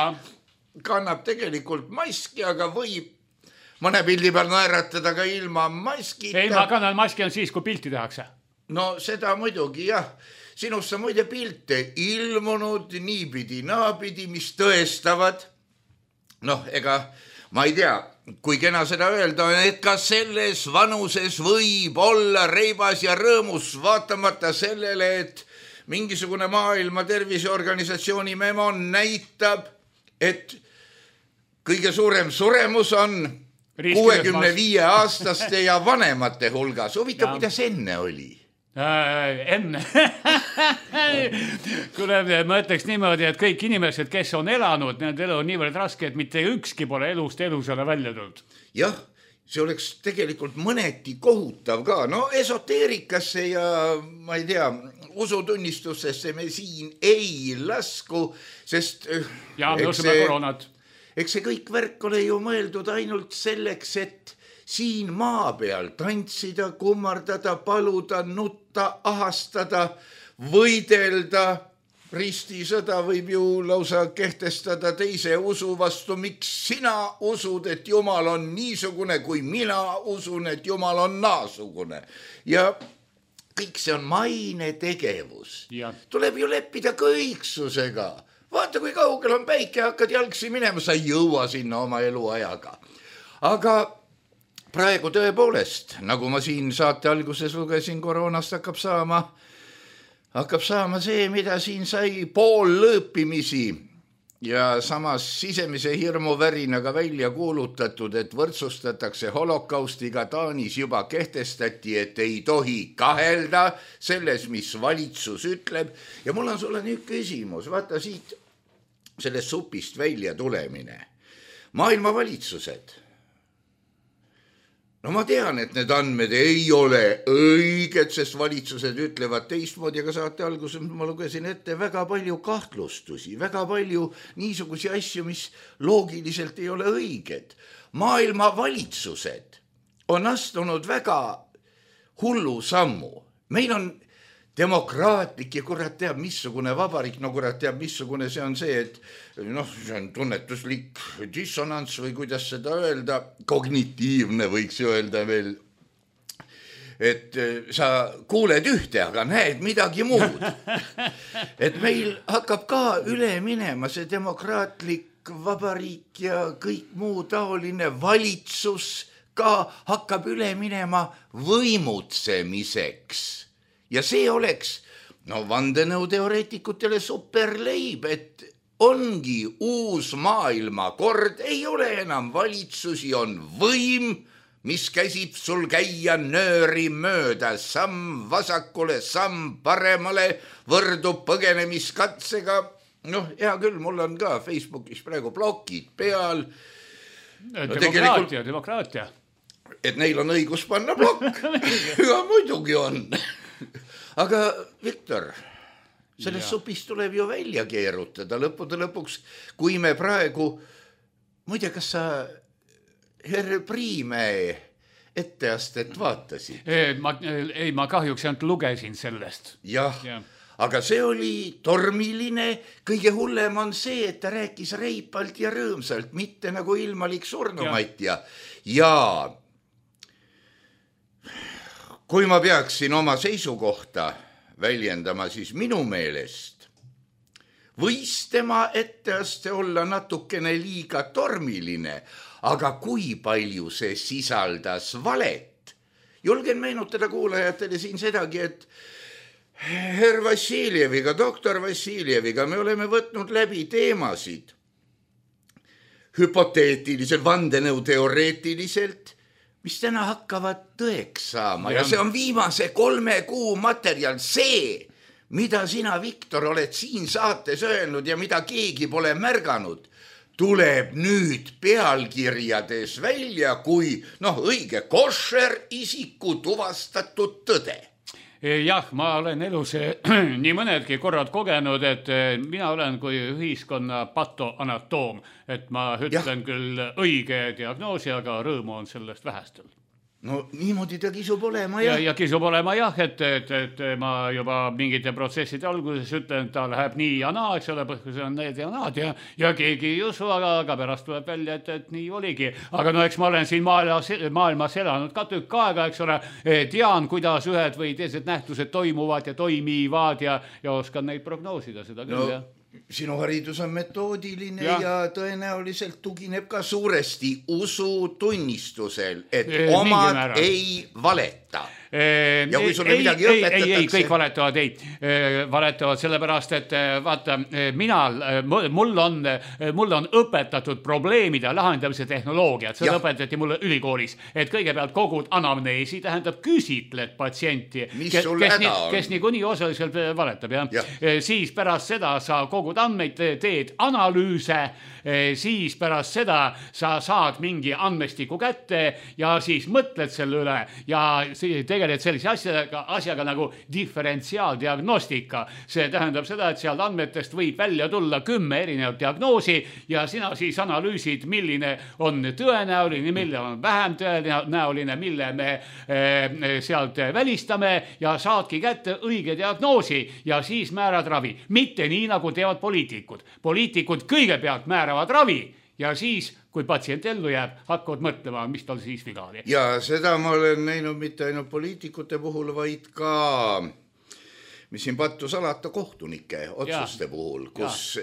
kannab tegelikult maski, aga võib mõne pildi peal naeratada ka ilma maskita. Ei, ma kannan maski on siis, kui pilti tehakse. No seda muidugi, jah. Sinust on muide pilte ilmunud niipidi naapidi, mis tõestavad. Ega ma ei tea, kui kena seda öelda on, et ka selles vanuses võib olla reibas ja rõõmus, vaatamata sellele, et mingisugune Maailma Terviseorganisatsiooni memo näitab, et kõige suurem suremus on 65-aastaste ja vanemate hulgas. Huvitav, kuidas enne oli? Enne. Kuule, ma ütleks niimoodi, et kõik inimesed, kes on elanud, nende elu on niivõrd raske, et mitte ükski pole elust elusale välja tulnud. Jah, see oleks tegelikult mõneti kohutav ka. No esoteerikasse ja ma ei tea, usutunnistustesse me siin ei lasku, sest... Ja me usume koronat. Eks see kõik värk ole ju mõeldud ainult selleks, et siin maa peal tantsida, kummardada, paluda, nutta, ahastada, võidelda. Ristisõda võib ju lausa kehtestada teise usu vastu. Miks sina usud, et Jumal on niisugune, kui mina usun, et Jumal on naasugune? Ja kõik see on maine tegevus. Tuleb ju leppida kõiksusega. Vaata, kui kaugel on päike, hakkad jalgsi minema, sa ei jõua sinna oma eluajaga. Aga praegu tõepoolest, nagu ma siin saate alguses lugesin, koroonast hakkab saama see, mida siin sai pool lõõpimisi ja samas sisemise hirmuvärinaga välja kuulutatud, et võrdsustatakse holokaustiga. Taanis juba kehtestati, et ei tohi kahelda selles, mis valitsus ütleb. Ja mul on sulle nüüd küsimus, vaata siit sellest supist välja tulemine. Maailma valitsused. No ma tean, et need andmed ei ole õiged, sest valitsused ütlevad teistmoodi, aga saate alguses ma lugesin ette väga palju kahtlustusi, väga palju niisugusi asju, mis loogiliselt ei ole õiged. Maailma valitsused on astunud väga hullu sammu. Meil on demokraatlik ja kurat teab, missugune vabariik, no kurat teab, missugune see on see, et see on tunnetuslik dissonants või kuidas seda öelda, kognitiivne võiks öelda veel, et sa kuuled ühte, aga näed midagi muud. Et meil hakkab ka üle minema see demokraatlik vabariik ja kõik muu taoline valitsus ka hakkab üle minema võimutsemiseks. Ja see oleks vandenõuteoreetikutele superleib, et ongi uus maailmakord, ei ole enam valitsusi, on võim, mis käsib sul käia nööri mööda, samm vasakule, samm paremale, võrdub põgenemiskatsega. Hea küll, mul on ka Facebookis praegu blokid peal. Demokraatia. Et neil on õigus panna blokk. Ja muidugi on. Aga Viktor, sellest supist tuleb ju välja keerutada lõppude lõpuks, kui me praegu, muide, kas sa Herr Priimäe etteastet vaatasid? Ma kahjuks ainult lugesin sellest. Jah. Aga see oli tormiline, kõige hullem on see, et ta rääkis reipalt ja rõõmsalt, mitte nagu ilmalik surnumatja. Ja kui ma peaksin oma seisukohta väljendama, siis minu meelest võis tema etteaste olla natukene liiga tormiline, aga kui palju see sisaldas valet. Julgen meenutada kuulajatele siin sedagi, et Herr Vassiljeviga, doktor Vassiljeviga me oleme võtnud läbi teemasid hüpoteetiliselt, vandenõuteoreetiliselt, mis täna hakkavad tõeks saama. Ja see on viimase 3 kuu materjal, see, mida sina, Viktor, oled siin saates öelnud ja mida keegi pole märganud, tuleb nüüd pealkirjades välja kui õige košer isiku tuvastatud tõde. Jah, ma olen elus nii mõnedki korrad kogenud, et mina olen kui ühiskonna patoanatoom, et ma ütlen küll õige diagnoosi, aga rõõmu on sellest vähestel. No niimoodi ta kisub olema, jah. Ja kisub olema, jah, et ma juba mingite protsesside alguses ütlen, et ta läheb nii ja naa, eks ole, põhjus on need ja naad ja keegi ei usu, aga pärast tuleb välja, et nii oligi. Aga eks ma olen siin maailmas elanud ka tükk aega, eks ole, tean, kuidas ühed või teised nähtused toimuvad ja toimivad ja oskan neid prognoosida, seda küll, jah. Sinu haridus on metoodiline ja tõenäoliselt tugineb ka suuresti usutunnistusel, et omad ei valeta. Ja kui sulle midagi õpetatakse... Ei, kõik valetavad sellepärast, et vaata, mul on õpetatud probleemide lahendamise tehnoloogiat, seda õpetati mulle ülikoolis, et kõigepealt kogud anamneesi, tähendab küsitled patsienti, kes nii kuni osaliselt valetab, siis pärast seda sa kogud andmeid, teed analüüse, siis pärast seda sa saad mingi andmestiku kätte ja siis mõtled selle üle ja tegeled sellise asjaga nagu diferentsiaaldiagnostika. See tähendab seda, et sealt andmetest võib välja tulla 10 erinevat diagnoosi ja sina siis analüüsid, milline on tõenäoline, mille on vähem tõenäoline, mille me sealt välistame ja saadki kätte õige diagnoosi ja siis määrad ravi. Mitte nii, nagu teevad poliitikud. Poliitikud kõigepealt määravad ravi ja siis, kui patsient ellu jääb, hakkavad mõtlema, mis tal siis viga oli. Ja seda ma olen näinud mitte ainult poliitikute puhul, vaid ka, mis siin pattu salata, kohtunike otsuste puhul, kus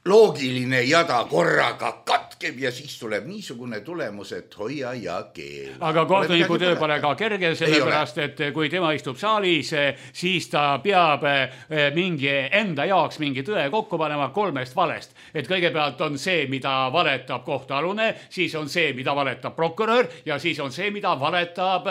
loogiline jada korraga katkeb ja siis tuleb niisugune tulemus, et hoia ja keel. Aga kohtuniku töö pole ka kerge, sellepärast, et kui tema istub saalis, siis ta peab enda jaoks mingi tõe kokku panema 3 valest. Et kõigepealt on see, mida valetab kohtualune, siis on see, mida valetab prokurör ja siis on see, mida valetab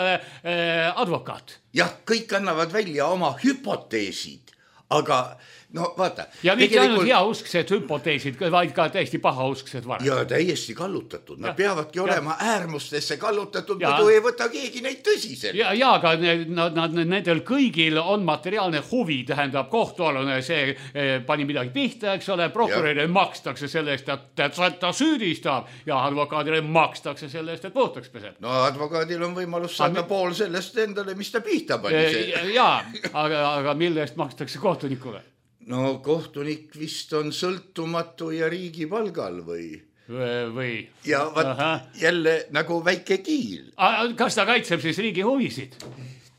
advokaat. Jah, kõik annavad välja oma hüpoteesid, aga no vaata. Ja mitte ainult heausksed hüpoteesid, vaid ka täiesti pahausksed valed. Ja täiesti kallutatud. Nad peavadki olema äärmustesse kallutatud, muidu ei võta keegi neid tõsiselt. Ja aga nendel kõigil on materiaalne huvi, tähendab kohtualune, see pani midagi pihta, eks ole, prokurörile makstakse selle eest, et ta süüdistab ja advokaadile makstakse selle eest, et puhtaks peseb. No advokaadil on võimalus saada pool sellest endale, mis ta pihta pani. Aga mille eest makstakse kohtunikule? No kohtunik vist on sõltumatu ja riigi palgal või? Ja jälle nagu väike kiil. Kas ta kaitseb siis riigi huvisid?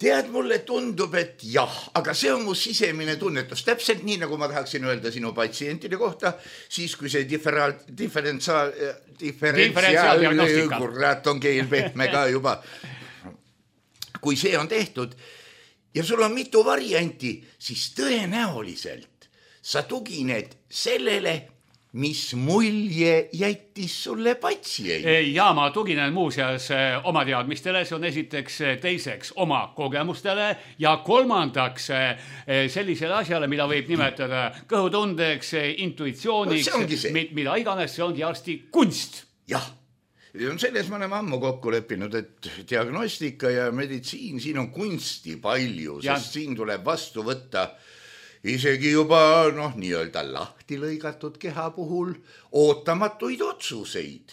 Tead, mulle tundub, et jah, aga see on mu sisemine tunnetus. Täpselt nii, nagu ma tahaksin öelda sinu patsientide kohta, siis kui see diferentsiaaldiagnostika, kurat on keel pehme ka juba. Kui see on tehtud ja sul on mitu varianti, siis tõenäoliselt sa tugined sellele, mis mulje jättis sulle patsient. Ja ma tuginen muuseas oma teadmistele, see on esiteks, teiseks oma kogemustele ja kolmandaks sellisele asjale, mida võib nimetada kõhutundeks, intuitsiooniks, mida iganes, see ongi arsti kunst. Jah. Selles me oleme ammu kokku leppinud, et diagnostika ja meditsiin, siin on kunsti palju, sest siin tuleb vastu võtta isegi juba nii-öelda lahti lahti lõigatud keha puhul ootamatuid otsuseid.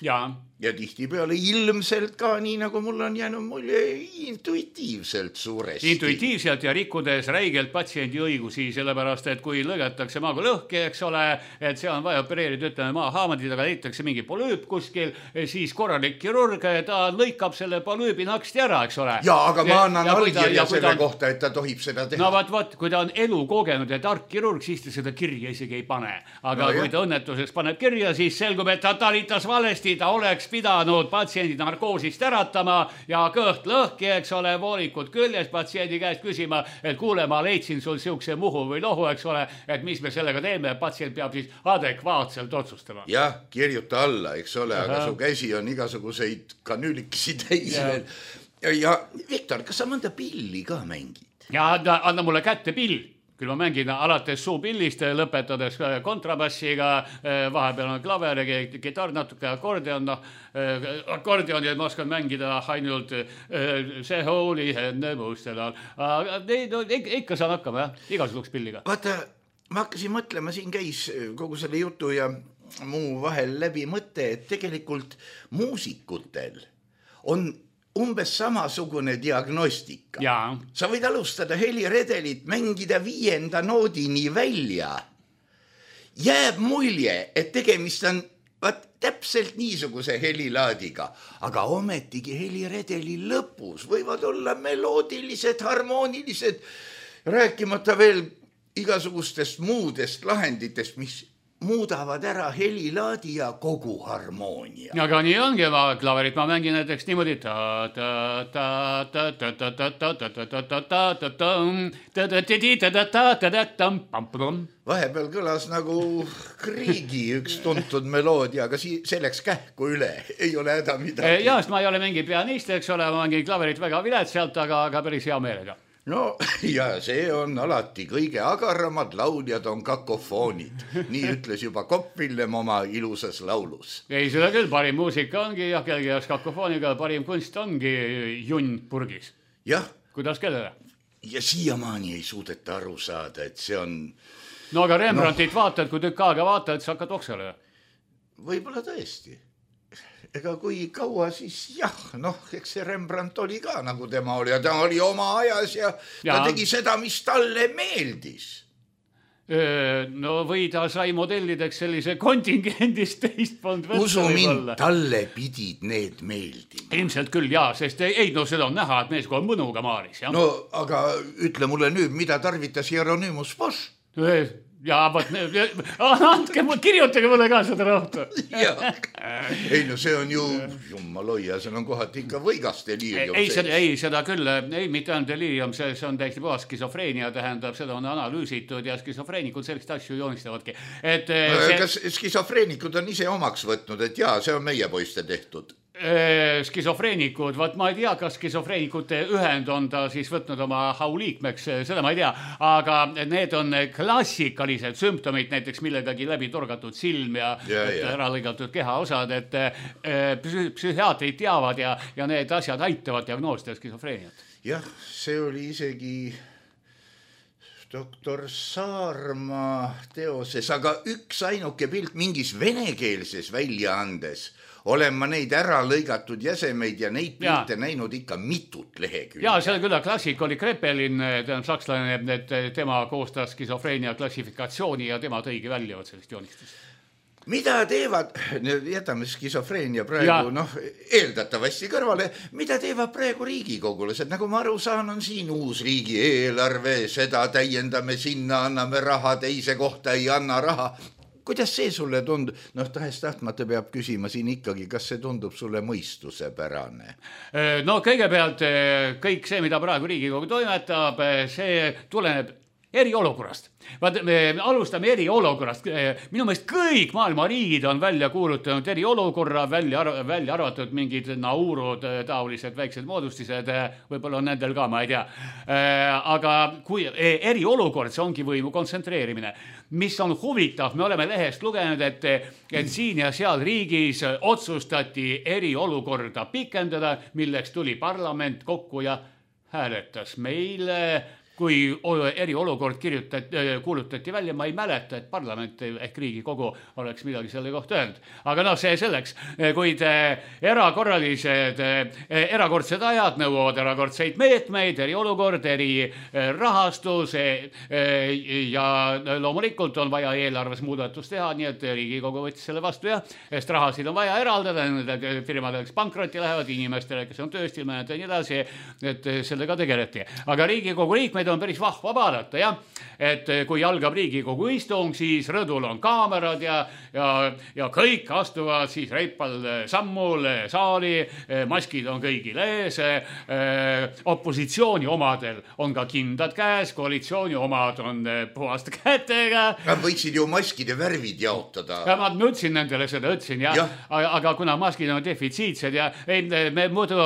Ja tihtipeale ilmselt ka nii, nagu mul on jäänud mulje, intuitiivselt suuresti. Intuitiivselt ja rikkudes räigelt patsiendi õigusi, sellepärast, et kui lõigatakse maagulõhki, eks ole, et see on vaja opereerida, ütleme maahaamandid, aga leitakse mingi polüüp kuskil, siis korralik kirurg, ta lõikab selle polüübi naksti ära, eks ole. Ja, aga ma annan allkirja selle kohta, et ta tohib seda teha. No vaat, kui ta on elu kogenud ja tark kirurg, siis ta seda kirja isegi ei pane. Aga kui ta õnnetuseks paneb kirja, siis selgub, et ta talitas valesti, ta oleks pidanud patsiendi narkoosist äratama ja kõht lõhki, eks ole, voolikud küljes patsiendi käest küsima, et kuule, ma leidsin sul siukse muhu või lohu, eks ole, et mis me sellega teeme, patsient peab siis adekvaatselt otsustama. Jah, kirjuta alla, eks ole, aga su käsi on igasuguseid kanüülikesi täis veel. Ja Viktor, kas sa mõnda pilli ka mängid? Ja anna mulle kätte pill. Küll ma mängin alates suupillist, lõpetades kontrabassiga, vahepeal on klaver ja gitarr, natuke akordeon. Akordeoni ma oskan mängida ainult see hooli enne mustelal. Aga ikka saan hakkama, igasuguks pilliga. Vaata, ma hakkasin mõtlema, siin käis kogu selle jutu ja muu vahel läbi mõte, et tegelikult muusikutel on umbes samasugune diagnostika. Sa võid alustada heliredelit, mängida 5. noodini välja. Jääb mulje, et tegemist on täpselt niisuguse helilaadiga, aga ometigi heliredeli lõpus võivad olla meloodilised, harmoonilised, rääkimata veel igasugustest muudest lahenditest, mis muudavad ära helilaadi ja kogu harmoonia. Aga nii ongi, klaverit ma mängin näiteks niimoodi. Vahepeal kõlas nagu Kriigi üks tuntud meloodia, aga selleks kähku üle ei ole häda midagi. Ja, sest ma ei ole mingi pianist, eks ole, ma mängin klaverit väga viletsalt, aga päris hea meelega. No ja see on alati kõige agaramad lauljad on kakofoonid. Nii ütles juba Kopp-Villem oma ilusas laulus. Ei, seda küll, parim muusika ongi ja kellegi jaoks kakofooniga, parim kunst ongi junn purgis. Jah. Kuidas kellele? Ja siiamaani ei suudeta aru saada, et see on... No aga Rembrandtit vaatad, kui tükk aega vaatad, sa hakkad oksele. Võib-olla tõesti. Ega kui kaua siis eks see Rembrandt oli ka nagu tema oli ja ta oli oma ajas ja ta tegi seda, mis talle meeldis. No või ta sai modellideks sellise kontingendist teist polnud võtta. Usu mind, talle pidid need meeldima. Ilmselt küll, sest ei, seda on näha, et mees kui on mõnuga maalis. No, aga ütle mulle nüüd, mida tarvitas Hieronymus Bosch? Ja, andke, kirjutage mulle ka seda rauta. Ei, no see on ju, jummaloia, see on kohati ikka võigas delirium. Ei, seda küll, ei, mitte on delirium, see on täiesti puhas skisofreenia, tähendab, seda on analüüsitud ja skisofreenikud sellist asju joonistavadki. Kas skisofreenikud on ise omaks võtnud, et see on meie poiste tehtud? Skisofreenikud, ma ei tea, kas skisofreenikute ühend on ta siis võtnud oma hauliikmeks, seda ma ei tea, aga need on klassikalised sümptomid, näiteks millegagi läbi torgatud silm ja ära lõigatud kehaosad, et psühhiaatrid teavad ja need asjad aitavad diagnoosida skisofreeniat. Jah, see oli isegi doktor Saarma teoses, aga üks ainuke pilt mingis venekeelses väljaandes olen ma neid ära lõigatud jäsemeid ja neid pilte näinud ikka mitut lehekülge. Ja, see küll klassik oli Kreppelin, sakslane, et tema koostas skisofreenia klassifikatsiooni ja tema tõigi välja sellest joonistust. Mida teevad, jätame skisofreenia praegu, eeldatavasti kõrvale, mida teevad praegu riigikogulased? Nagu ma aru saan, on siin uus riigi eelarve, seda täiendame sinna, anname raha, teise kohta ei anna raha. Kuidas see sulle tundub? Tahes tahtmata peab küsima siin ikkagi, kas see tundub sulle mõistusepärane? No kõigepealt kõik see, mida praegu Riigikogu toimetab, see tuleneb eriolukorrast. Me alustame eriolukorrast. Minu meelest kõik maailma riigid on välja kuulutanud eriolukorra, välja arvatud mingid Naurud, taolised väiksed moodustised, võib-olla on nendel ka, ma ei tea. Aga kui eriolukord, see ongi võimu kontsentreerimine. Mis on huvitav, me oleme lehest lugenud, et siin ja seal riigis otsustati eriolukorda pikendada, milleks tuli parlament kokku ja hääletas. Meile kui eriolukord kuulutati välja, ma ei mäleta, et parlament ehk Riigikogu oleks midagi selle kohta öelnud. Aga noh, see selleks, kuid erakordsed ajad nõuavad erakordseid meetmeid, eriolukord, erirahastus ja loomulikult on vaja eelarves muudatus teha, nii et Riigikogu võttis selle vastu ja sest rahasid on vaja eraldada, nende firmadele, kes pankrotti lähevad, inimestele, kes on tööst ilma ja nii edasi, et sellega tegeleti. Aga Riigikogu liikmeid on päris vahva vaadata, jah, et kui algab Riigikogu istung, siis rõdul on kaamerad ja kõik astuvad siis reipal sammul saali, maskid on kõigil ees, opositsiooni omadel on ka kindad käes, koalitsiooni omad on puhaste kätega. Nad võiksid ju maskide värvid jaotada. Ja ma nutsin nendele seda, ütlesin, ja. Aga kuna maskid on defitsiitsed ja me muidu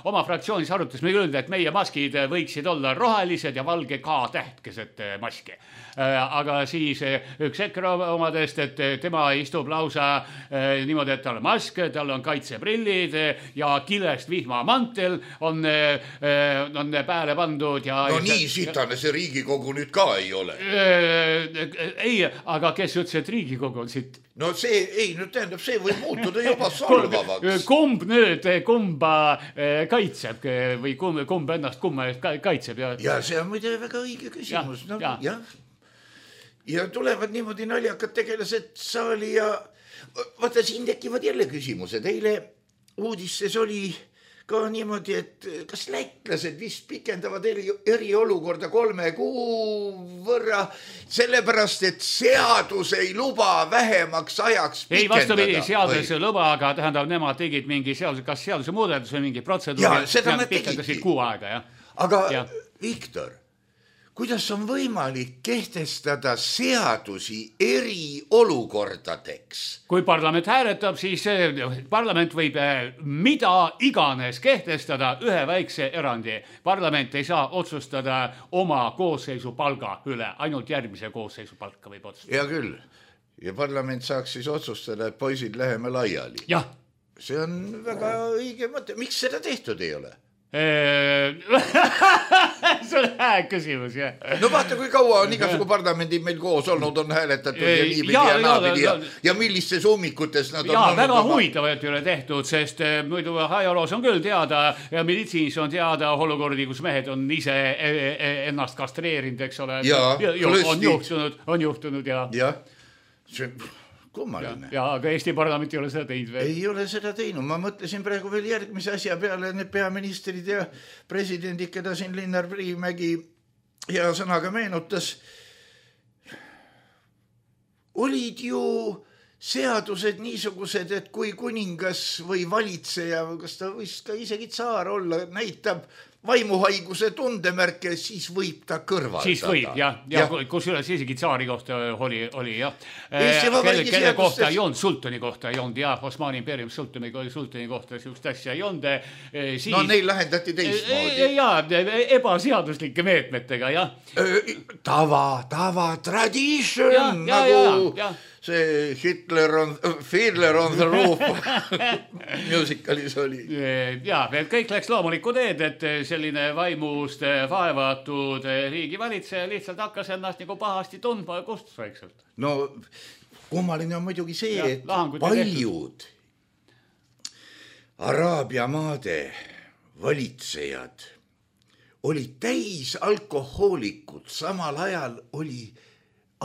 oma fraktsioonis arutasime küll, et meie maskid võiksid olla rohelised ja valge K-täht keset maski. Aga siis üks EKRE omadest, et tema istub lausa niimoodi, et tal on mask, tal on kaitseprillid ja kilest vihmamantel on pääle pandud. No nii sitane see Riigikogu nüüd ka ei ole. Ei, aga kes ütles, et Riigikogu on siit? No see, ei, nüüd tähendab, see võib muutuda juba solvavaks. Kumb nüüd, kumba kaitseb või kumb ennast kumma kaitseb? Ja see on muide väga õige küsimus. Ja tulevad niimoodi naljakad tegelased saali ja vaata, siin tekivad jälle küsimused. Eile uudistes oli ka niimoodi, et kas lätlased vist pikendavad eriolukorda 3 kuu võrra, sellepärast, et seadus ei luba vähemaks ajaks pikendada. Ei, vastupidi, seadus ei luba, aga tähendab, nemad tegid mingi kas seaduse muudatus või mingi protseduuri. Ja, seda nad tegidki. 6 aega, jah. Aga Viktor, kuidas on võimalik kehtestada seadusi eriolukordadeks? Kui parlament hääletab, siis parlament võib mida iganes kehtestada ühe väikse erandi. Parlament ei saa otsustada oma koosseisu palga üle, ainult järgmise koosseisu palka võib otsustada. Ja küll. Ja parlament saaks siis otsustada, et poisid läheme laiali. Jah. See on väga õige mõte. Miks seda tehtud ei ole? See on hää küsimus, jah. No vaata, kui kaua on igasugu parlamendid meil koos olnud, on hääletatud ja niipidi ja naapidi ja millistes ummikutes nad on olnud. Väga huvitavalt ei ole tehtud, sest muidu ajaloos on küll teada ja meditsiinis on teada olukordi, kus mehed on ise ennast kastreerinud, eks ole. On juhtunud ja. Jah, see kummaline. Ja, aga Eesti parlament ei ole seda teinud veel. Ei ole seda teinud. Ma mõtlesin praegu veel järgmise asja peale, need peaministrid ja presidendid, keda siin Linnar Priimägi hea sõnaga meenutas. Olid ju seadused niisugused, et kui kuningas või valitseja, kas ta võis ka isegi tsaar olla, näitab vaimuhaiguse tundemärke, siis võib ta kõrvaldada. Siis võib, ja kus üles isegi tsaari kohta oli jah. Kelle kohta ei olnud, sultani kohta ei olnud, jah, Osmani impeerium sultani kohta siukest asja ei olnud. No neil lahendati teistmoodi. Jaa, ebaseaduslike meetmetega, jah. Tava, tradition, nagu see Fiddler on the Roof musikalis oli. Jaa, kõik läks loomulikku teed, et selline vaimust vaevatud riigivalitseja lihtsalt hakkas ennast nagu pahasti tundma ja kustus vaikselt. No kummaline on muidugi see, et paljud Araabia maade valitsejad olid täis alkohoolikud, samal ajal oli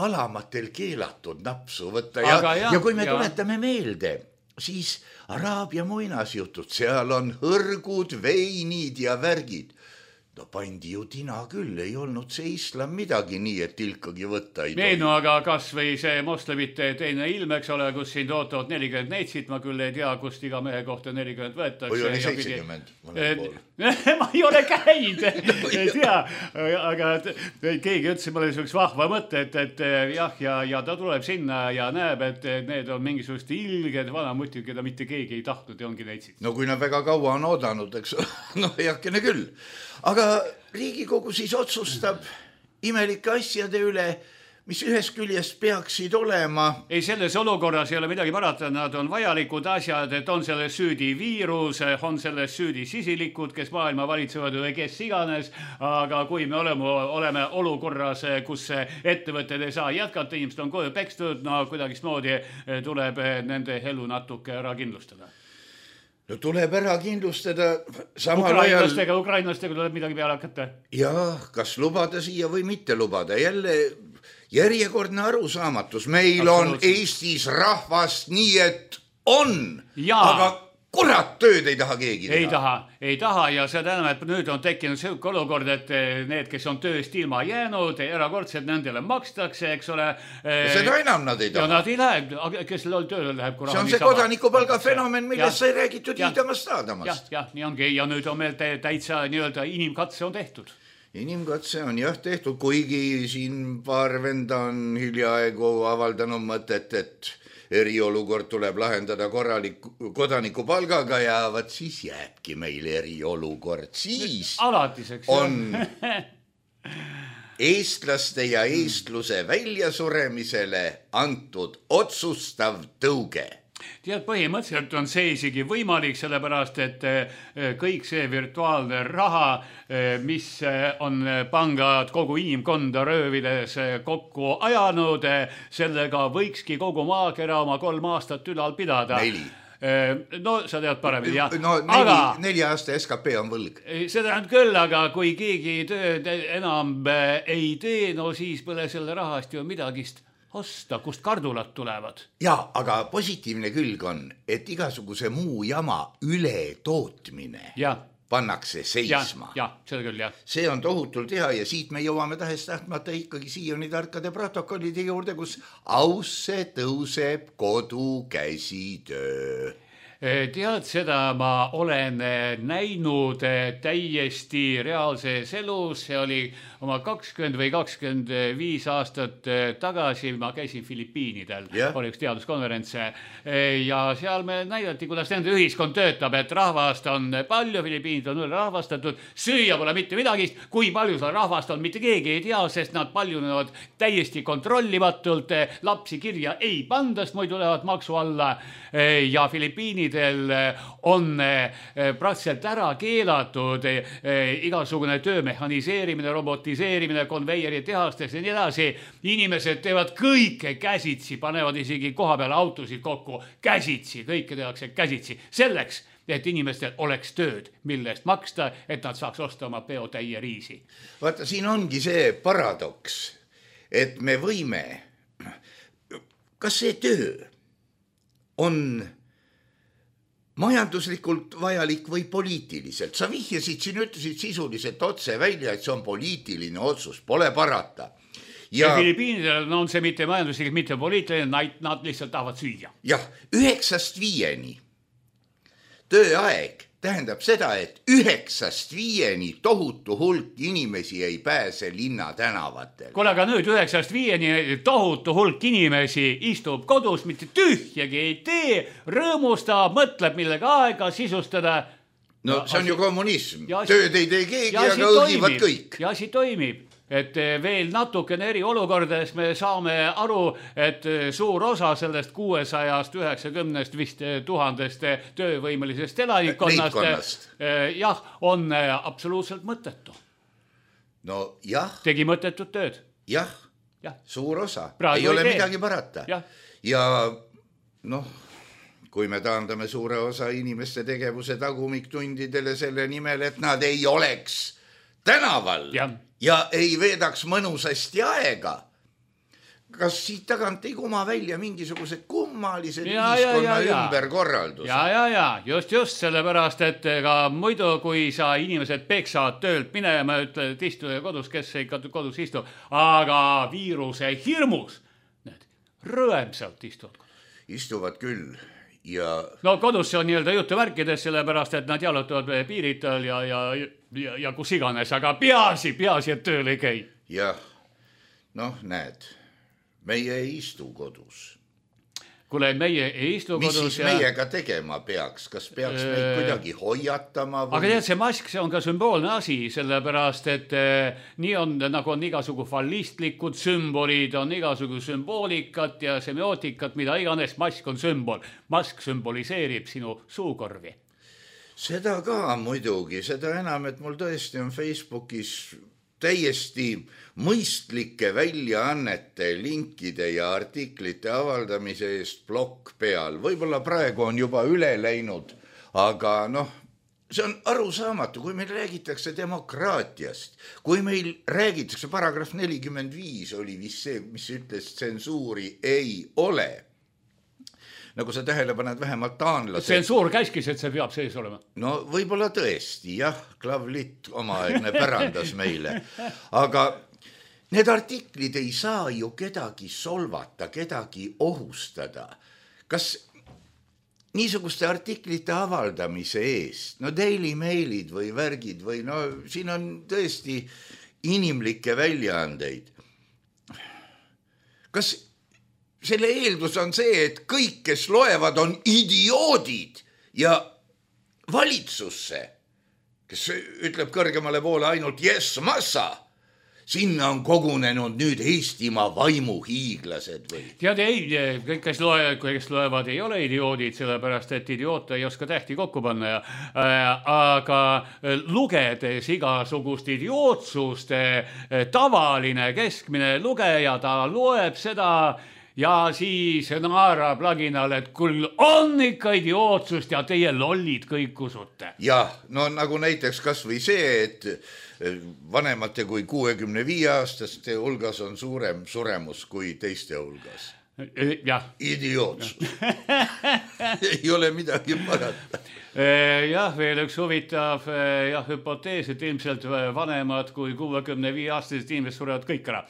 alamatel keelatud napsu võtta ja kui me tuletame meelde, siis Araabia muinasjutud, seal on hõrgud, veinid ja värgid. No pandi ju tina küll, ei olnud see islam midagi nii, et tilkagi võtta ei tohi. No aga kas või see moslemite teine ilm, eks ole, kus siin tootavad 40 neitsit, ma küll ei tea, kust iga mehe kohta 40 võetakse. Või oli 70 mõned pool. Ma ei ole käinud, ei tea, aga keegi ütles, et mul oli üks vahva mõte, et jah, ja ta tuleb sinna ja näeb, et need on mingisugust ilged vanamutid, keda mitte keegi ei tahtnud ja ongi neitsid. No kui nad väga kaua on oodanud, eks no heakene küll. Aga Riigikogu siis otsustab imelike asjade üle, mis ühest küljest peaksid olema. Ei, selles olukorras ei ole midagi parata, nad on vajalikud asjad, et on selles süüdi viirus, on selles süüdi sisilikud, kes maailma valitsevad või kes iganes, aga kui me oleme olukorras, kus ettevõtted ei saa jätkata, inimesed on koju pekstud, no kuidagismoodi tuleb nende elu natuke ära kindlustada. No tuleb ära kindlustada samal ajal. Ukrainlastega tuleb midagi peale hakata. Ja kas lubada siia või mitte lubada, jälle järjekordne arusaamatus. Meil on Eestis rahvast nii, et on, aga kurat tööd ei taha keegi teha. Ei taha ja see tähendab, et nüüd on tekkinud selline olukord, et need, kes on tööst ilma jäänud, erakordselt nendele makstakse, eks ole. Seda enam nad ei taha. Ja nad ei lähe, kes tööle läheb. See on see kodanikupalga fenomen, millest sai räägitud iidamast aadamast. Jah, nii ongi ja nüüd on meil täitsa nii-öelda inimkatse on tehtud. Inimkatse on jah tehtud, kuigi siin paar venda on hiljaaegu avaldanud mõtet, et eriolukord tuleb lahendada kodanikupalgaga ja võt siis jääbki meil eriolukord. Siis alatiseks on eestlaste ja eestluse väljasuremisele antud otsustav tõuge. Tead, põhimõtteliselt on see isegi võimalik, sellepärast, et kõik see virtuaalne raha, mis on pangad kogu inimkonda röövides kokku ajanud, sellega võikski kogu maakera oma 3 aastat ülal pidada. 4. No sa tead paremini, jah. No 4 aasta SKP on võlg. Seda on küll, aga kui keegi tööd enam ei tee, no siis pole selle rahast ju midagist osta, kust kardulad tulevad. Ja, aga positiivne külg on, et igasuguse muu jama ületootmine pannakse seisma. Ja, seda küll, jah. See on tohutult hea ja siit me jõuame tahes-tahtmata ikkagi siiani tarkade protokollide juurde, kus ausse tõuseb kodu käsitöö. Tead, seda ma olen näinud täiesti reaalses elus, see oli oma 20 või 25 aastat tagasi, ma käisin Filipiinidel, oli üks teaduskonverents ja seal me näidati, kuidas nende ühiskond töötab, et rahvast on palju, Filipiinid on ülerahvastatud, süüa pole mitte midagi, kui palju seal rahvast on, mitte keegi ei tea, sest nad paljunevad täiesti kontrollimatult, lapsi kirja ei pandast, muidu lähevad maksu alla ja Filipiinid on praktiliselt ära keelatud igasugune töö mehhaniseerimine, robotiseerimine, konveieri tehastes ja nii edasi. Inimesed teevad kõike käsitsi, panevad isegi koha peale autosid kokku käsitsi, kõike tehakse käsitsi. Selleks, et inimestel oleks tööd, mille eest maksta, et nad saaks osta oma peotäie riisi. Vaata, siin ongi see paradoks, et me võime, kas see töö on majanduslikult vajalik või poliitiliselt. Sa vihjasid siin, ütlesid sisuliselt otse välja, et see on poliitiline otsus, pole parata. Ja Filipiinidel on see mitte majanduslikult, mitte poliitiline, nad lihtsalt tahavad süüa. Jah, 9-5 tööaeg tähendab seda, et 9-5 tohutu hulk inimesi ei pääse linna tänavatel. Kuule, aga nüüd 9-5 tohutu hulk inimesi istub kodus, mitte tühjagi ei tee, rõõmustab, mõtleb millega aega sisustada. No see on ju kommunism. Tööd ei tee keegi, aga õgivad kõik. Ja asi toimib. Et veel natukene eri olukordades me saame aru, et suur osa sellest 690 vist 1000 töövõimelisest elanikkonnast on absoluutselt mõttetu. No jah. Tegi mõttetut tööd. Jah, suur osa. Praegu ei ole midagi parata. Ja kui me taandame suure osa inimeste tegevuse tagumiktundidele selle nimel, et nad ei oleks tänaval ja ei veedaks mõnusasti aega. Kas siit tagant ei kuma välja mingisugused kummalised ühiskonna ümberkorraldused? Ja, just, sellepärast, et ka muidu, kui sa inimesed peksavad töölt minema, ütled, istu kodus, kes ei kodus istu, aga viiruse hirmus, need rõemsalt istuvad kodus. Istuvad küll. No kodus see on nii-öelda jutuvärkides, sellepärast, et nad jalutavad piiritel ja kus iganes, aga peaasi, et tööl ei käi. Jah, näed, meie ei istu kodus. kuule, meie ei istu mis kodus. siis meiega tegema peaks, kas peaks meid kuidagi hoiatama või? Aga tead, see mask, see on ka sümboolne asi, sellepärast, et nii on, nagu on igasugu fallistlikud sümbolid, on igasugu sümboolikat ja semiootikat, mida iganes, mask on sümbol. Mask sümboliseerib sinu suukorvi. Seda ka muidugi, seda enam, et mul tõesti on Facebookis täiesti mõistlike väljaannete, linkide ja artiklite avaldamise eest plokk peal. Võib-olla praegu on juba üle läinud, aga see on arusaamatu, kui meil räägitakse demokraatiast, kui meil räägitakse paragrahv 45 oli vist see, mis ütles tsensuuri ei ole. Nagu sa tähele paned, vähemalt taanlased. Tsensuur käskis, et see peab sees olema. No võib-olla tõesti, jah, Klavlit omaaegne pärandas meile. Aga need artiklid ei saa ju kedagi solvata, kedagi ohustada. Kas niisuguste artiklite avaldamise eest, Daily Mailid või värgid või siin on tõesti inimlikke väljaandeid. Kas selle eeldus on see, et kõik, kes loevad, on idioodid ja valitsusse, kes ütleb kõrgemale poole ainult yes, massa, sinna on kogunenud nüüd Eestimaa vaimuhiiglased või? Tead, ei, kõik, kes loevad, ei ole idioodid, sellepärast, et idioot ei oska tähti kokku panna. Aga lugedes igasugust idiootsust, tavaline keskmine lugeja, ta loeb seda ja siis naerab laginal, et küll on ikka idiootsust ja teie lollid kõik usute. Jah, nagu näiteks kas või see, et vanemate kui 65-aastaste hulgas on suurem suremus kui teiste hulgas. Jah. Idiootsus. Ei ole midagi parata. Jah, veel üks huvitav hüpotees, et ilmselt vanemad kui 65-aastased inimesed surevad kõik ära.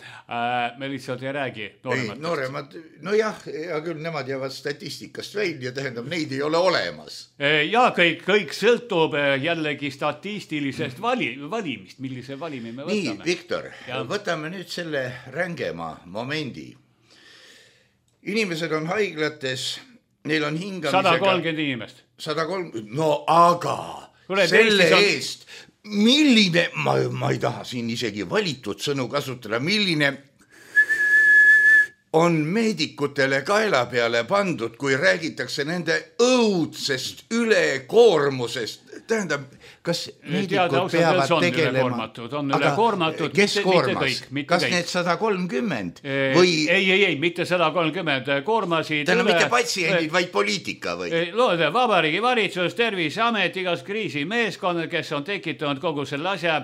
Me lihtsalt ei räägi nooremad. Jah, hea küll, nemad jäävad statistikast välja, tähendab, neid ei ole olemas. Ja kõik sõltub jällegi statistilisest valimist, millise valimi me võtame. Nii, Viktor, võtame nüüd selle rängema momendi. Inimesed on haiglates, neil on hingamisega 130 inimest. 130, aga selle eest, milline, ma ei taha siin isegi valitud sõnu kasutada, milline on meedikutele kaela peale pandud, kui räägitakse nende õudsest ülekoormusest. Tähendab, kas meedikud peavad tegelema? On ülekoormatud, kes koormas? Kas need 130? Ei, mitte 130 koormasid. Tähendab, mitte patsiendid, vaid poliitika või? Loode Vabariigi valitsus, Terviseamet, igas kriisimeeskond, kes on tekitanud kogu selle asja,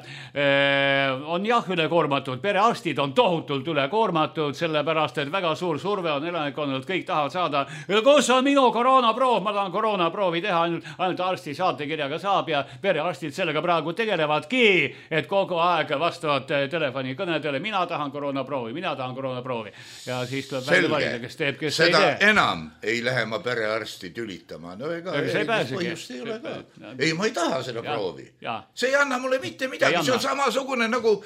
on jah ülekoormatud. Perearstid on tohutult ülekoormatud, sellepärast, et väga suur surve on elanikkonnalt, kõik tahavad saada. Kus on minu koroonaproov? Ma tahan koroonaproovi teha, ainult arsti saatekirjaga saab ja perearstid sellega praegu tegelevadki, et kogu aeg vastavad telefonikõnedele, mina tahan koroonaproovi. Ja siis tuleb välja valida, kes teeb, kes seda ei tee. Enam ei lähe ma perearsti tülitama. Põhjust ei ole ka. Ei, ma ei taha seda proovi. See ei anna mulle mitte midagi. See on samasugune nagu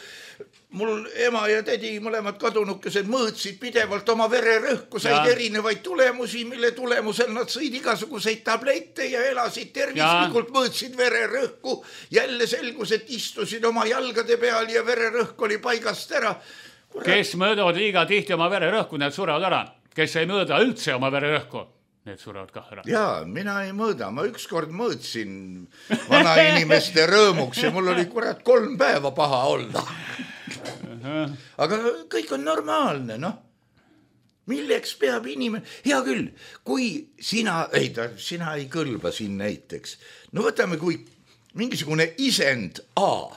mul ema ja tädi mõlemad kadunukesed mõõtsid pidevalt oma vererõhku, said erinevaid tulemusi, mille tulemusel nad sõid igasuguseid tablette ja elasid tervislikult, mõõtsid vererõhku. Jälle selgus, et istusid oma jalgade peal ja vererõhk oli paigast ära. Kes mõõdavad liiga tihti oma vererõhku, need surevad ära. Kes ei mõõda üldse oma vererõhku, need surevad kah ära. Jaa, mina ei mõõda. Ma ükskord mõõtsin vana inimeste rõõmuks ja mul oli 3 päeva paha olla. Aga kõik on normaalne, Milleks peab inimene? Hea küll, kui sina ei kõlba siin näiteks. Võtame, kui mingisugune isend A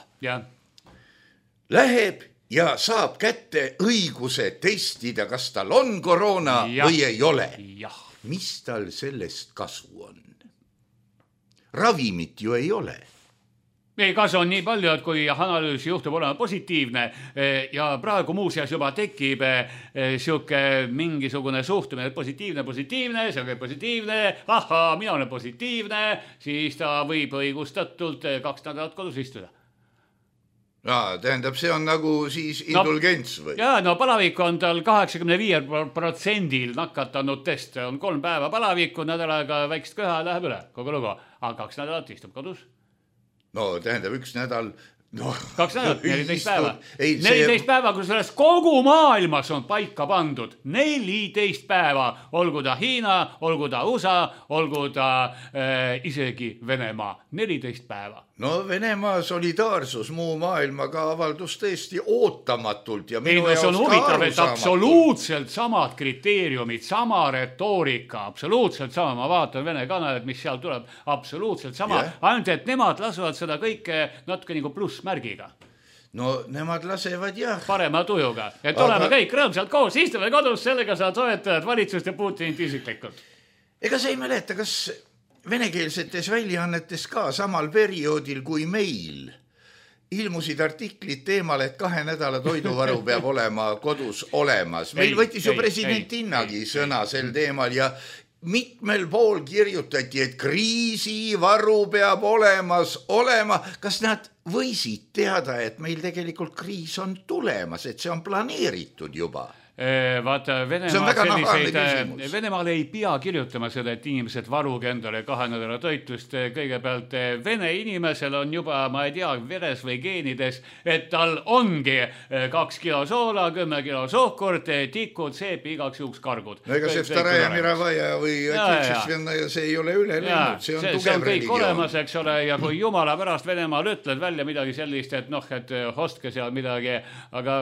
läheb ja saab kätte õiguse testida, kas tal on koroona või ei ole. Mis tal sellest kasu on? Ravimit ju ei ole. Ei, kasu on nii palju, et kui analüüs juhtub olema positiivne ja praegu muuseas juba tekib siuke mingisugune suhtumine, positiivne, see on positiivne, mina olen positiivne, siis ta võib õigustatult 2 nädalat kodus istuda. Tähendab, see on nagu siis indulgents või? Jaa, no palavik on tal 85% nakatanutest. On 3 päeva palavikku, nädalaga väikest köha läheb üle, kogu lugu. Aga 2 nädalat istub kodus. No tähendab 1 nädal... No, 2 nädalat, 14 päeva. 14 päeva, kus sellest kogu maailmas on paika pandud. 14 päeva, olgu ta Hiina, olgu ta USA, olgu ta isegi Venemaa. 14 päeva. No Venemaa solidaarsus muu maailmaga avaldus tõesti ootamatult ja minu jaoks on huvitav, et absoluutselt samad kriteeriumid, sama retoorika, absoluutselt sama. Ma vaatan Vene kanalit, mis seal tuleb, absoluutselt sama. Ainult, et nemad lasuvad seda kõike natuke nagu plussmärgiga. No nemad lasevad jah. Parema tujuga. Et oleme kõik rõõmsalt koos, istume kodus, sellega sa toetad valitsust ja Putinit isiklikult. Ega sa ei mäleta, kas venekeelsetes väljaannetes ka samal perioodil kui meil ilmusid artiklid teemal, et 2 nädala toiduvaru peab olema kodus olemas. Meil võttis ju president Innagi sõna sel teemal ja mitmel pool kirjutati, et kriisivaru peab olemas olema. Kas nad võisid teada, et meil tegelikult kriis on tulemas, et see on planeeritud juba? Vaata, Venemaal ei pea kirjutama seda, et inimesed varuge endale 2 nädala toitlust. Kõigepealt Vene inimesel on juba, ma ei tea, veres või geenides, et tal ongi 2 kilo soola, 10 kilo sohkurt, tikud, seepi, igaks juhuks kargud. No ega see Vtaraja Miravaja või Otsuksvenna ja see ei ole üle läinud, see on tugev kõik religioon. Olemas, eks ole, ja kui jumala pärast Venemaal ütled välja midagi sellist, et noh, et ostke seal midagi, aga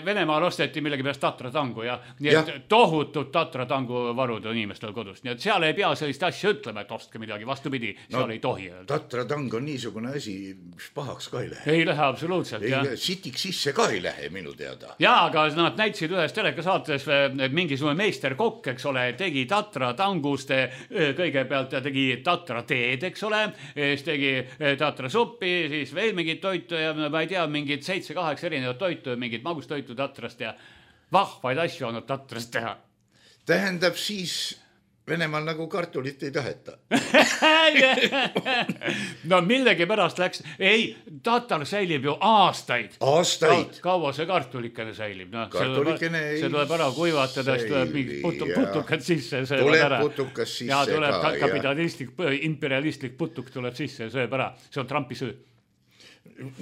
Venemaal osteti millegi pärast Tatra tangu ja nii et tohutud Tatra tangu varud on inimestel kodus. Nii et seal ei pea sellist asja ütlema, et ostke midagi, vastupidi, seal ei tohi öelda. Tatra tang on niisugune asi, mis pahaks ka ei lähe. Ei lähe absoluutselt, jah. Sitik sisse ka ei lähe minu teada. Jaa, aga nad näitsid ühes telekasaates mingisugune meisterkokk, eks ole, tegi Tatra tangust, kõigepealt tegi Tatra teed, eks ole, siis tegi Tatra suppi, siis veel mingit toitu ja ma ei tea, mingid 7-8 erinevat toitu, mingit magustoitu Tatrast ja vahvaid asju on Tatrast teha. Tähendab siis Venemaal nagu kartulit ei taheta. No millegi pärast läks. Ei, Tatar säilib ju aastaid. Aastaid? Kaua see kartulikene säilib? No, kartulikene ei... See tuleb ära kuivatada, siis tuleb mingi putukad sisse. Tuleb putukas sisse ja tuleb ka. Kapitalistlik, imperialistlik putuk tuleb sisse ja sööb ära. See on Trumpi söö.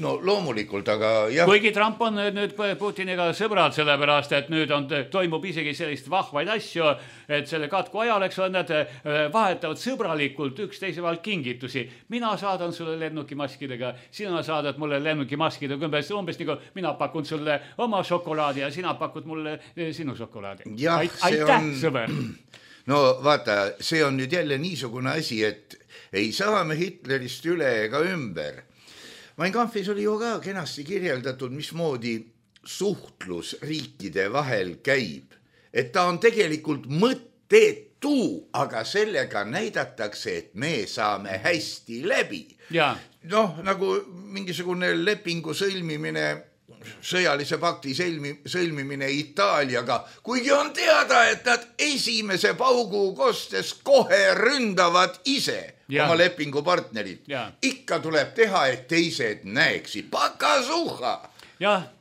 No loomulikult, aga jah. Kuigi Trump on nüüd Putiniga sõbrad sellepärast, et nüüd toimub isegi sellist vahvaid asju, et selle katku ajal, eks on, nad vahetavad sõbralikult üksteise vahel kingitusi. Mina saadan sulle lennukimaskidega, sina saadad mulle lennukimaskidega, umbes nagu mina pakun sulle oma šokolaadi ja sina pakud mulle sinu šokolaadi. Aitäh, sõber! No vaata, see on nüüd jälle niisugune asi, et ei saa me Hitlerist üle ega ümber. Mein Kampfis oli ju ka kenasti kirjeldatud, mismoodi suhtlus riikide vahel käib. Et ta on tegelikult mõttetu, aga sellega näidatakse, et me saame hästi läbi. Noh, nagu mingisugune lepingu sõlmimine, sõjalise pakti sõlmimine Itaaliaga, kuigi on teada, et nad esimese paugu kostes kohe ründavad ise oma lepingupartnerid. Ikka tuleb teha, et teised näeksid. Pakasuha!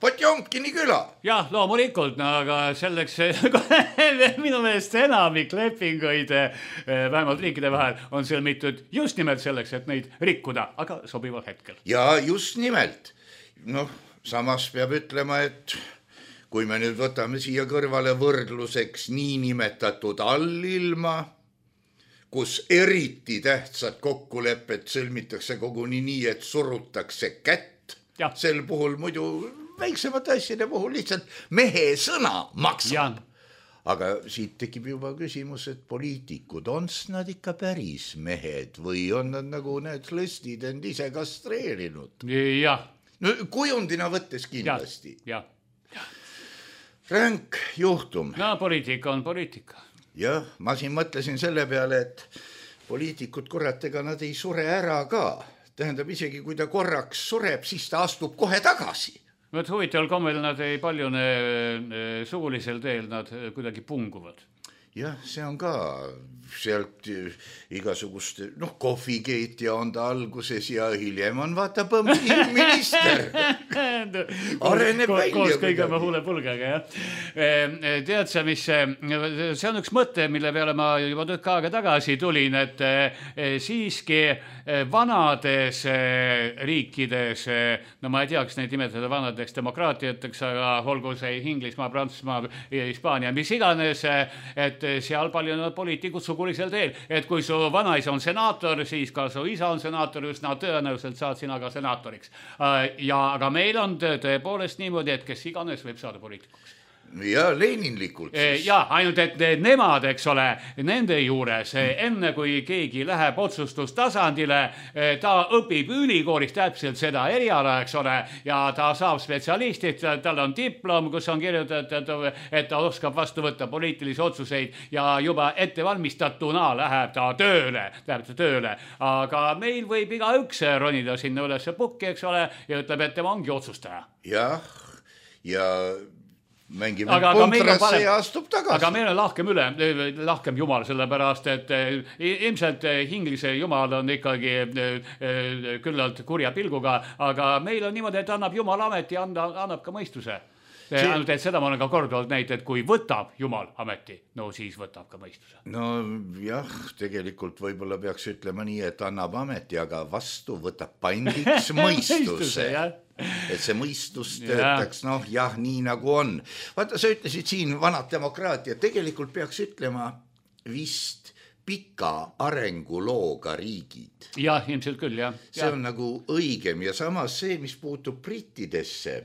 Potjomkini küla. Jah, loomulikult, aga selleks minu meelest enamik lepinguid vähemalt riikide vahel on sõlmitud just nimelt selleks, et neid rikkuda, aga sobival hetkel. Ja just nimelt. Noh, samas peab ütlema, et kui me nüüd võtame siia kõrvale võrdluseks niinimetatud allilma, kus eriti tähtsad kokkulepped sõlmitakse koguni nii, et surutakse kätt. Sel puhul muidu väiksemate asjade puhul lihtsalt mehe sõna maksab. Aga siit tekib juba küsimus, et poliitikud, on nad ikka päris mehed või on nad nagu need lõstid end ise kastreerinud? Jah. No, kujundina võttes kindlasti. Ränk juhtum. No poliitika on poliitika. Jah, ma siin mõtlesin selle peale, et poliitikud kurat, ega nad ei sure ära ka. Tähendab, isegi kui ta korraks sureb, siis ta astub kohe tagasi. Huvitaval kommel nad ei paljune sugulisel teel, nad kuidagi punguvad. jah, see on ka sealt igasugust, kohvikeetja on ta alguses ja hiljem on vaata minister. Areneb välja. Koos kõige oma huulepulgaga, jah. Tead sa, mis see on üks mõte, mille peale ma juba tükk aega tagasi tulin, et siiski vanades riikides, no ma ei tea, kas neid nimetada vanadeks demokraatiateks, aga olgu see Inglismaa, Prantsusmaa, Hispaania, mis iganes, et seal palju poliitikud sugulisel teel, et kui su vanaisa on senaator, siis ka su isa on senaator, üsna tõenäoliselt saad sina ka senaatoriks. Aga meil on tõepoolest niimoodi, et kes iganes võib saada poliitikuks. Ja leninlikult siis. Ja, ainult et nemad, eks ole, nende juures, enne kui keegi läheb otsustustasandile, ta õpib ülikoolis täpselt seda eriala, eks ole, ja ta saab spetsialistid, tal on diplom, kus on kirjutatud, et ta oskab vastu võtta poliitilisi otsuseid ja juba ettevalmistatuna läheb ta tööle. Aga meil võib igaüks ronida sinna üles pukki, eks ole, ja ütleb, et tema ongi otsustaja. Jah, ja mängime puntrasse ja astub tagasi. Aga meil on lahkem jumal, sellepärast, et ilmselt Inglise jumal on ikkagi küllalt kurja pilguga, aga meil on niimoodi, et annab jumal ameti ja annab ka mõistuse. Ainult, et seda ma olen ka korduvalt näinud, et kui võtab jumal ameti, no siis võtab ka mõistuse. No jah, tegelikult võib-olla peaks ütlema nii, et annab ameti, aga vastu võtab pandiks mõistuse. Et see mõistus töötaks, nii nagu on. Vaata, sa ütlesid siin vanad demokraatia, tegelikult peaks ütlema vist pika arengulooga riigid. Jah, ilmselt küll, jah. See on nagu õigem ja samas see, mis puutub brittidesse.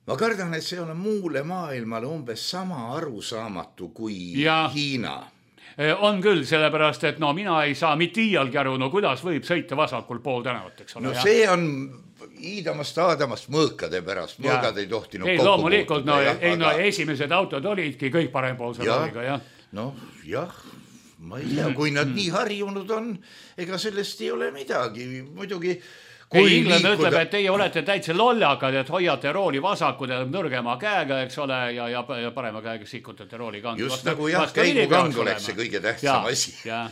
Ma kardan, et see on muule maailmale umbes sama arusaamatu kui Hiina. On küll, sellepärast, et mina ei saa mitte iialgi aru, kuidas võib sõita vasakul pool tänavat, eks ole. See on Iidamast Aadamast mõõkade pärast, mõõgad ei tohtinud kokku loomulikult, esimesed autod olidki kõik parempoolse rooliga, jah. Jah, ma ei tea, kui nad nii harjunud on, ega sellest ei ole midagi, muidugi Inglane ütleb, et teie olete täitsa lollakad, et hoiate rooli vasakul ja nõrgema käega, eks ole, ja parema käega sikutate rooli kangu. Just nagu käigukang oleks see kõige tähtsam asi. Ja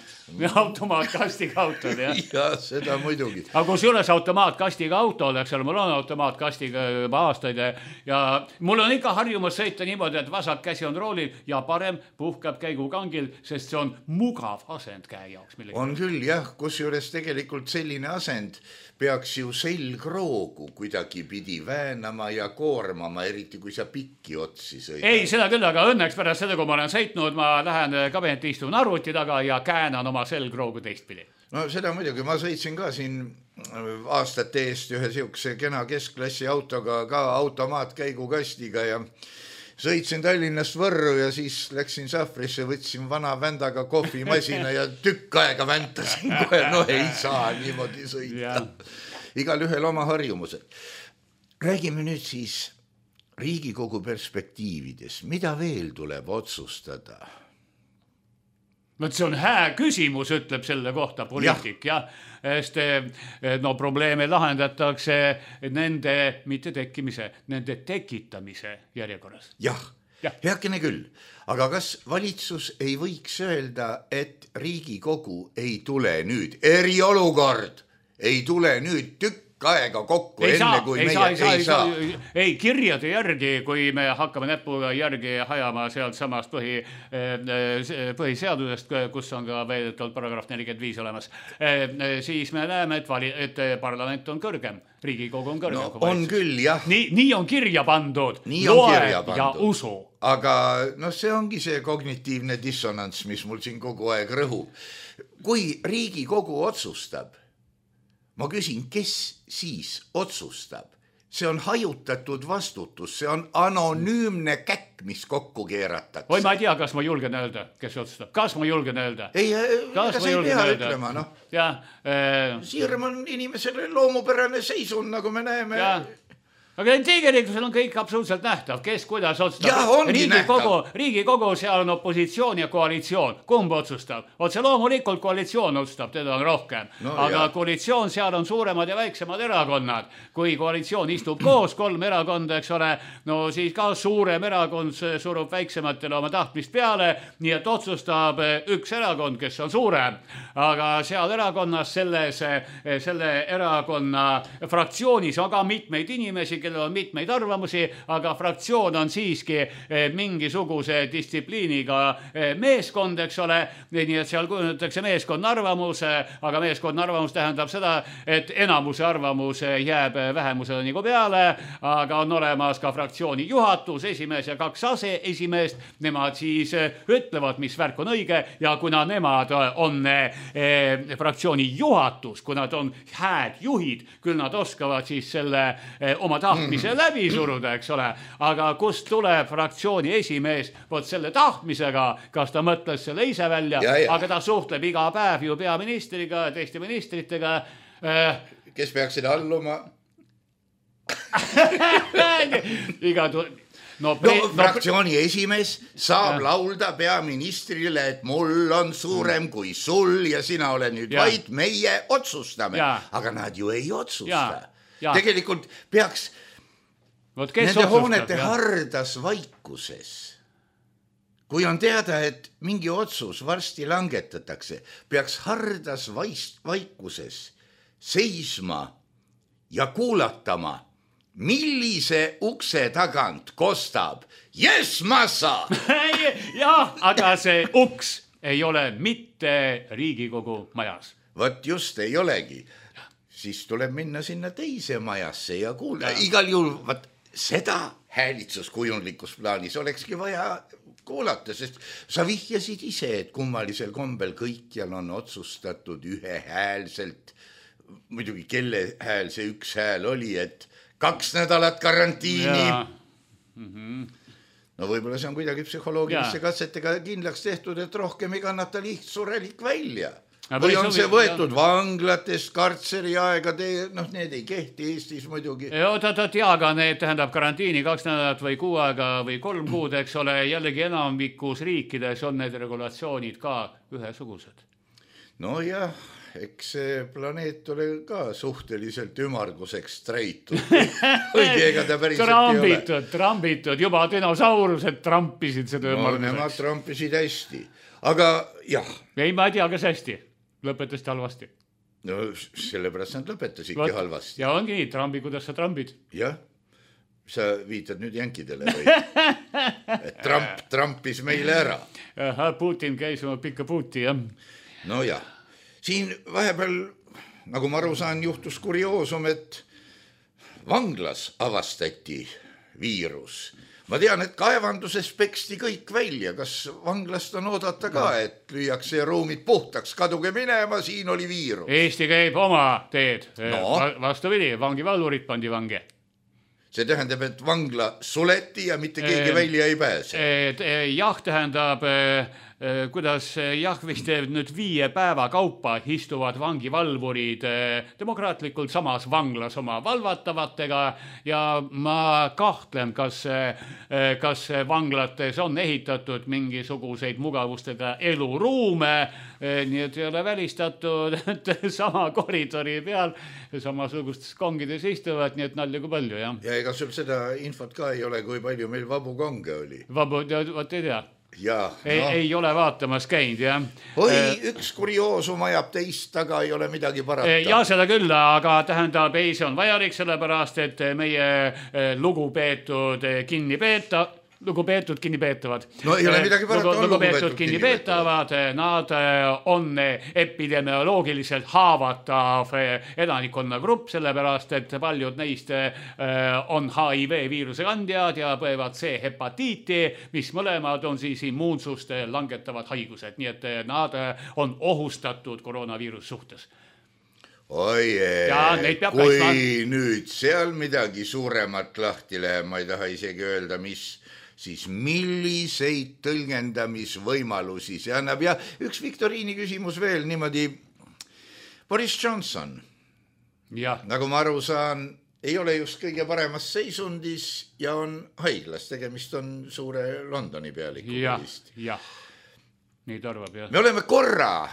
automaatkastiga autod, jah. Ja seda muidugi. Aga kus juures automaatkastiga autod, eks ole, mul on automaatkastiga juba aastaid ja mul on ikka harjumus sõita niimoodi, et vasak käsi on roolil ja parem puhkab käigukangil, sest see on mugav asend käe jaoks. On küll, jah, kus juures tegelikult selline asend peaks ju selgroogu kuidagi pidi väänama ja koormama, eriti kui sa pikki otsi sõidad. Ei, seda küll, aga õnneks pärast seda, kui ma olen sõitnud, ma lähen kabinetti istun arvuti taga ja käänan oma selgroogu teistpidi. No seda muidugi, ma sõitsin ka siin aastate eest ühe siukse kena keskklassi autoga, ka automaatkäigukastiga ja sõitsin Tallinnast Võrru ja siis läksin Sahvrisse, võtsin vana vändaga kohvimasina ja tükk aega väntasin kohe, ei saa niimoodi sõita. Igal ühel oma harjumused. Räägime nüüd siis Riigikogu perspektiivides. Mida veel tuleb otsustada? See on hää küsimus, ütleb selle kohta poliitik, jah. Sest probleeme lahendatakse nende mitte tekkimise, nende tekitamise järjekorras. Jah, heakene küll. Aga kas valitsus ei võiks öelda, et Riigikogu ei tule nüüd, eriolukord ei tule nüüd tükk aega kokku, enne kui meie ei saa. Ei, kirjade järgi, kui me hakkame näpuga järgi hajama sealt samast põhiseadusest, kus on ka väidetavalt paragrahv 45 olemas, siis me näeme, et parlament on kõrgem, Riigikogu on kõrgem. No on küll, jah. Nii on kirja pandud, loe ja usu. Aga see ongi see kognitiivne dissonants, mis mul siin kogu aeg rõhub. Kui Riigikogu otsustab, ma küsin, kes siis otsustab? See on hajutatud vastutus, see on anonüümne käkk, mis kokku keeratakse. Oi, ma ei tea, kas ma julgen öelda, kes otsustab. Kas ma julgen öelda? Ei, kas ei pea ütlema, Jah. Siirem on inimesele loomupärane seisund, nagu me näeme. aga tegelikkusel on kõik absoluutselt nähtav, kes kuidas otsustab. Jah, ongi Riigikogu, seal on opositsioon ja koalitsioon. Kumb otsustab? Otse loomulikult koalitsioon otsustab, teda on rohkem. Aga koalitsioon, seal on suuremad ja väiksemad erakonnad. Kui koalitsioon istub koos, 3 erakonda, eks ole, no siis ka suurem erakond surub väiksematele oma tahtmist peale, nii et otsustab üks erakond, kes on suurem. Aga seal erakonnas, selle erakonna fraktsioonis on ka mitmeid inimesi, kellel on mitmeid arvamusi, aga fraktsioon on siiski mingisuguse distsipliiniga meeskond, eks ole, nii et seal kujundatakse meeskonna arvamus, aga meeskonna arvamus tähendab seda, et enamuse arvamus jääb vähemusele nagu peale, aga on olemas ka fraktsiooni juhatus, esimees ja 2 aseesimeest, nemad siis ütlevad, mis värk on õige ja kuna nemad on fraktsiooni juhatus, kui nad on häädjuhid, küll nad oskavad siis selle oma tahtmise läbi suruda, eks ole, aga kust tuleb fraktsiooni esimees vot selle tahtmisega, kas ta mõtles selle ise välja, aga ta suhtleb iga päev ju peaministriga ja teiste ministritega. Kes peaks seda alluma? Fraktsiooni esimees saab laulda peaministrile, et mul on suurem kui sul ja sina oled nüüd vaid meie otsustame, aga nad ju ei otsusta. Tegelikult peaks nende hoonete hardas vaikuses, kui on teada, et mingi otsus varsti langetatakse, peaks hardas vaikuses seisma ja kuulatama, millise ukse tagant kostab Yes, massa! Jah, aga see uks ei ole mitte Riigikogu majas. Vot just ei olegi. Siis tuleb minna sinna teise majasse ja kuulda. Igal juhul seda häälitsuskujundlikus plaanis olekski vaja kuulata, sest sa vihjasid ise, et kummalisel kombel kõikjal on otsustatud ühehäälselt, muidugi kelle hääl see üks hääl oli, et 2 nädalat karantiini. No võib-olla see on kuidagi psühholoogilisse katsetega kindlaks tehtud, et rohkem ei kannata lihtsurelik välja. Või on see võetud vanglatest, kartseri aega, need ei kehti Eestis muidugi. Aga need tähendab karantiini 2 nädalat või 6 aega või 3 kuud, eks ole, jällegi enamikus riikides on need regulatsioonid ka ühesugused. No jah, eks see planeet ole ka suhteliselt ümarguseks treitud. Õige, ega ta päriselt ei ole. Trambitud, juba dinosaurused trampisid seda ümarguseks. Nemad trampisid hästi, aga jah. Ei, ma ei tea, kas hästi. Lõpetasid halvasti. No sellepärast nad lõpetasidki halvasti. Ja ongi nii, trambi, kuidas sa trambid. Jah, sa viitad nüüd jänkidele või? Et Trump trampis meile ära. Putin käis oma pikka puuti, jah. No jah, siin vahepeal, nagu ma aru saan, juhtus kurioosum, et vanglas avastati viirus. Ma tean, et kaevanduses peksti kõik välja. Kas vanglast on oodata ka, et lüüakse ruumid puhtaks, kaduge minema, siin oli viirus? Eesti käib oma teed. Vastupidi, vangivalvurid pandi vange. See tähendab, et vangla suleti ja mitte keegi välja ei pääse. Jah, tähendab, kuidas vist nüüd 5 päeva kaupa istuvad vangivalvurid demokraatlikult samas vanglas oma valvatavatega ja ma kahtlen, kas vanglates on ehitatud mingisuguseid mugavustega eluruume, nii et ei ole välistatud, et sama koridori peal samasugustes kongides istuvad, nii et nalja kui palju, jah. Ja ega sul seda infot ka ei ole, kui palju meil vabu konge oli? Vabu, vot ei tea. Ja, ei ole vaatamas käinud, jah. Üks kurioosum ajab teist, aga ei ole midagi parata. Ja seda küll, aga tähendab, see on vajalik sellepärast, et meie lugupeetud kinnipeetavad. No ei ole midagi parata, on lugupeetud kinnipeetavad, nad on epidemioloogiliselt haavatav elanikkonna grupp, sellepärast, et paljud neist on HIV viiruse kandjad ja põevad C-hepatiiti, mis mõlemad on siis immuunsust langetavad haigused, nii et nad on ohustatud koroonaviirus suhtes. Kui nüüd seal midagi suuremat lahti läheb, ma ei taha isegi öelda, mis siis milliseid tõlgendamisvõimalusi see annab. Ja üks viktoriini küsimus veel niimoodi. Boris Johnson, nagu ma aru saan, ei ole just kõige paremas seisundis ja on haiglas, tegemist on suure Londoni pealikuga vist. Jah, nii tarvab, jah. Me oleme korra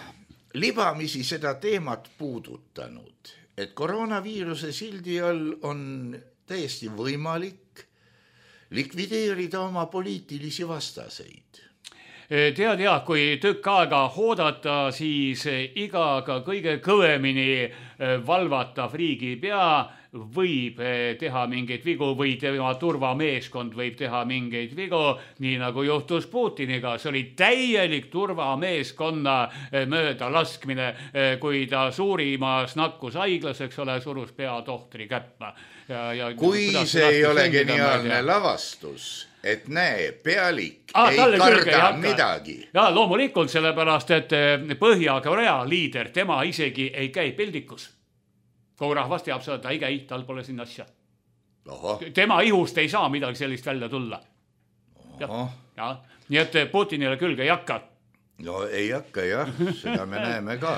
libamisi seda teemat puudutanud, et koroonaviiruse sildi all on täiesti võimalik likvideerida oma poliitilisi vastaseid. Tead, kui tükk aega hoodata, siis igaga kõige kõvemini valvatav riigipea võib teha mingeid vigu või tema turvameeskond võib teha mingeid vigu, nii nagu juhtus Putiniga. See oli täielik turvameeskonna mööda laskmine, kui ta suurimas nakkushaiglas, eks ole, surus peatohtri käppa. Kui see ei ole geniaalne lavastus, et näe, pealik ei karda midagi. Ja loomulikult sellepärast, et Põhja-Korea liider, tema isegi ei käi peldikus. Kogu rahvas teab seda, et ta ei käi, tal pole siin asja. Tema ihust ei saa midagi sellist välja tulla. Ja. Nii et Putinile külge ei hakka. No ei hakka, jah, seda me näeme ka.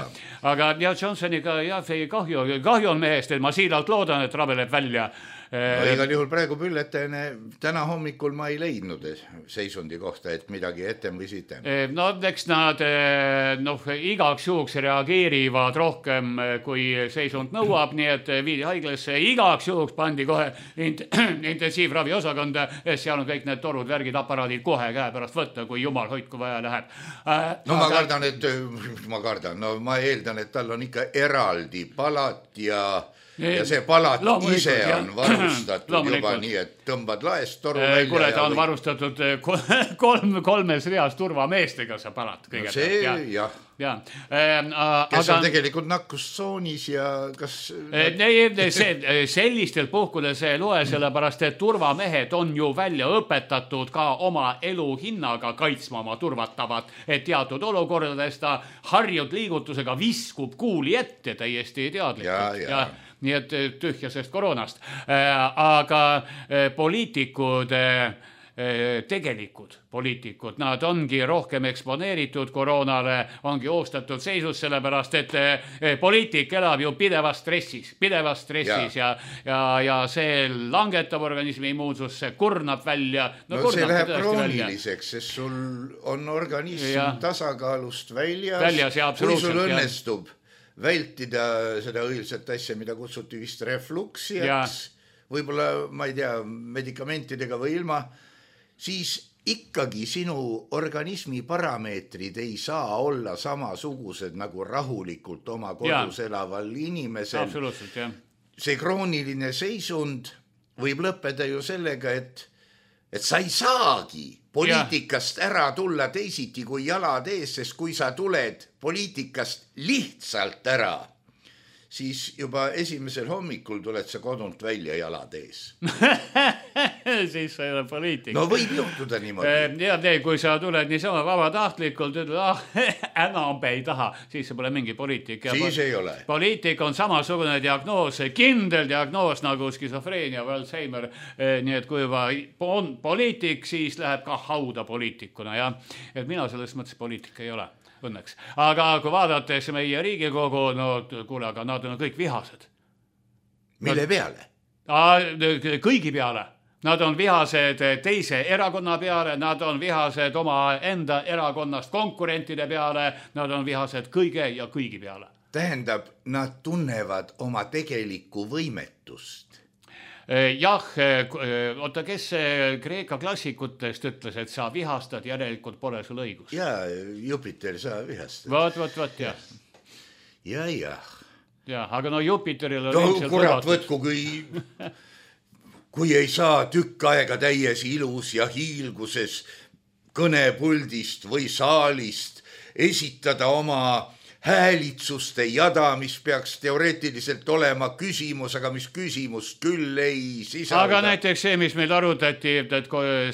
Aga Johnsoniga kahju on mehest, et ma siiralt loodan, et rabeleb välja. Igal juhul praegu pülletene, täna hommikul ma ei leidnud seisundi kohta, et midagi etem või sitem. No eks nad igaks juhuks reageerivad rohkem, kui seisund nõuab, nii et viidi haiglasse, igaks juhuks pandi kohe intensiivravi osakonda, seal on kõik need torud, värgid, aparaadid kohe käe pärast võtta, kui jumal hoidku vaja läheb. Ma eeldan, et tal on ikka eraldi palat ja see palat ise on varustatud juba nii, et tõmbad laest toru välja. Kuule, ta on varustatud kolmes reas turvameestega see palat. No see, jah. Kes on tegelikult nakkustsoonis ja kas... Sellistel puhkudel see ei loe, sellepärast, et turvamehed on ju välja õpetatud ka oma elu hinnaga kaitsma oma turvatavat, et teatud olukordades ta harjud liigutusega viskub kuuli ette täiesti teadlikult. Ja nii et tühjasest koroonast. Aga poliitikud, tegelikud poliitikud, nad ongi rohkem eksponeeritud koroonale, ongi oostatud seisus, sellepärast, et poliitik elab ju pidevas stressis ja see langetab organismi immuunsusse, kurnab välja. No see läheb krooniliseks, sest sul on organism tasakaalust väljas, kui sul õnnestub vältida seda õilsat asja, mida kutsuti vist refluksiaks, võib-olla, ma ei tea, medikamentidega või ilma, siis ikkagi sinu organismi parameetrid ei saa olla samasugused nagu rahulikult oma kodus elaval inimesel. Absoluutselt, jah. See krooniline seisund võib lõppeda ju sellega, et sa ei saagi poliitikast ära tulla teisiti kui jalad ees, sest kui sa tuled poliitikast lihtsalt ära, siis juba esimesel hommikul tuled sa kodunt välja jalad ees. Siis sa ei ole poliitik. No võib juhtuda niimoodi. Ja kui sa tuled niisama vabatahtlikult, enam ei taha, siis see pole mingi poliitik. Siis ei ole. Poliitik on samasugune diagnoos, kindel diagnoos nagu skisofreenia või Alzheimer. Nii et kui juba on poliitik, siis läheb ka hauda poliitikuna. Ja? Et mina selles mõttes poliitik ei ole. Õnneks. Aga kui vaadates meie Riigikogu, kuule, aga nad on kõik vihased. Mille peale? Kõigi peale. Nad on vihased teise erakonna peale, nad on vihased oma enda erakonnast konkurentide peale, nad on vihased kõige ja kõigi peale. Tähendab, nad tunnevad oma tegelikku võimetust. Jah, oota, kes Kreeka klassikutest ütles, et sa vihastad, järelikult pole sul õigus. Jaa, Jupiter, sa vihastad. Vaat, jah. Jah. Ja, aga no Jupiteril on ilmselt kurat võtku, kui ei saa tükk aega täies ilus ja hiilguses kõnepuldist või saalist esitada oma häälitsuste jada, mis peaks teoreetiliselt olema küsimus, aga mis küsimust küll ei sisalda. Aga näiteks see, mis meil arutati, et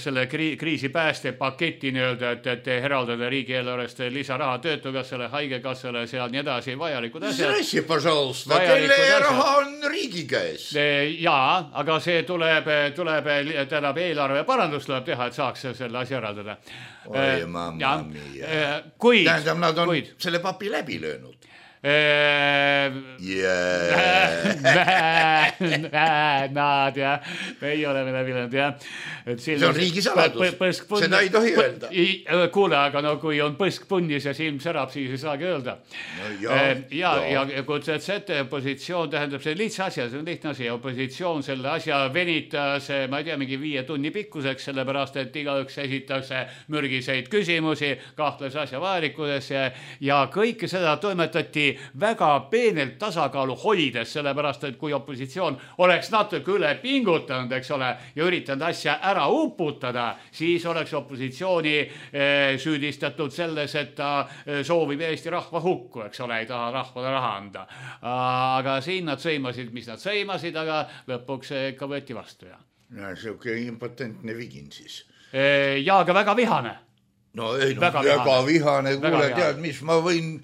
selle kriisi pääste paketi nii-öelda, et eraldada riigieelarvest lisaraha töötukassale, haigekassale, seal nii edasi, vajalikud asjad. Srassi, pažalusta, kelle raha on riigi käes? Jaa, aga see tuleb eelarve parandus tuleb teha, et saaks selle asja eraldada. Oi, mamma mia. Kuid. Tähendab, nad on selle papi läbi löönud. Nad ja meie oleme läbinud ja see on riigisaladus, seda ei tohi öelda. Kuule, aga no kui on põsk punnis ja silm särab, siis ei saagi öelda. Ja kutsed ette, opositsioon tähendab see lihtsa asja, see on lihtne asi, opositsioon selle asja venitas, ma ei tea, mingi 5 tunni pikkuseks, sellepärast, et igaüks esitakse mürgiseid küsimusi, kahtles asja vajalikudes ja kõike seda toimetati väga peenelt tasakaalu hoides, sellepärast, et kui opositsioon oleks natuke üle pingutanud, eks ole, ja üritanud asja ära uputada, siis oleks opositsiooni süüdistatud selles, et ta soovib Eesti rahva hukku, eks ole, ei taha rahvale raha anda. Aga siin nad sõimasid, mis nad sõimasid, aga lõpuks ikka võeti vastu. Ja siuke impotentne vigin siis. Ja, aga väga vihane. No ei, väga vihane, kuule, tead, mis ma võin,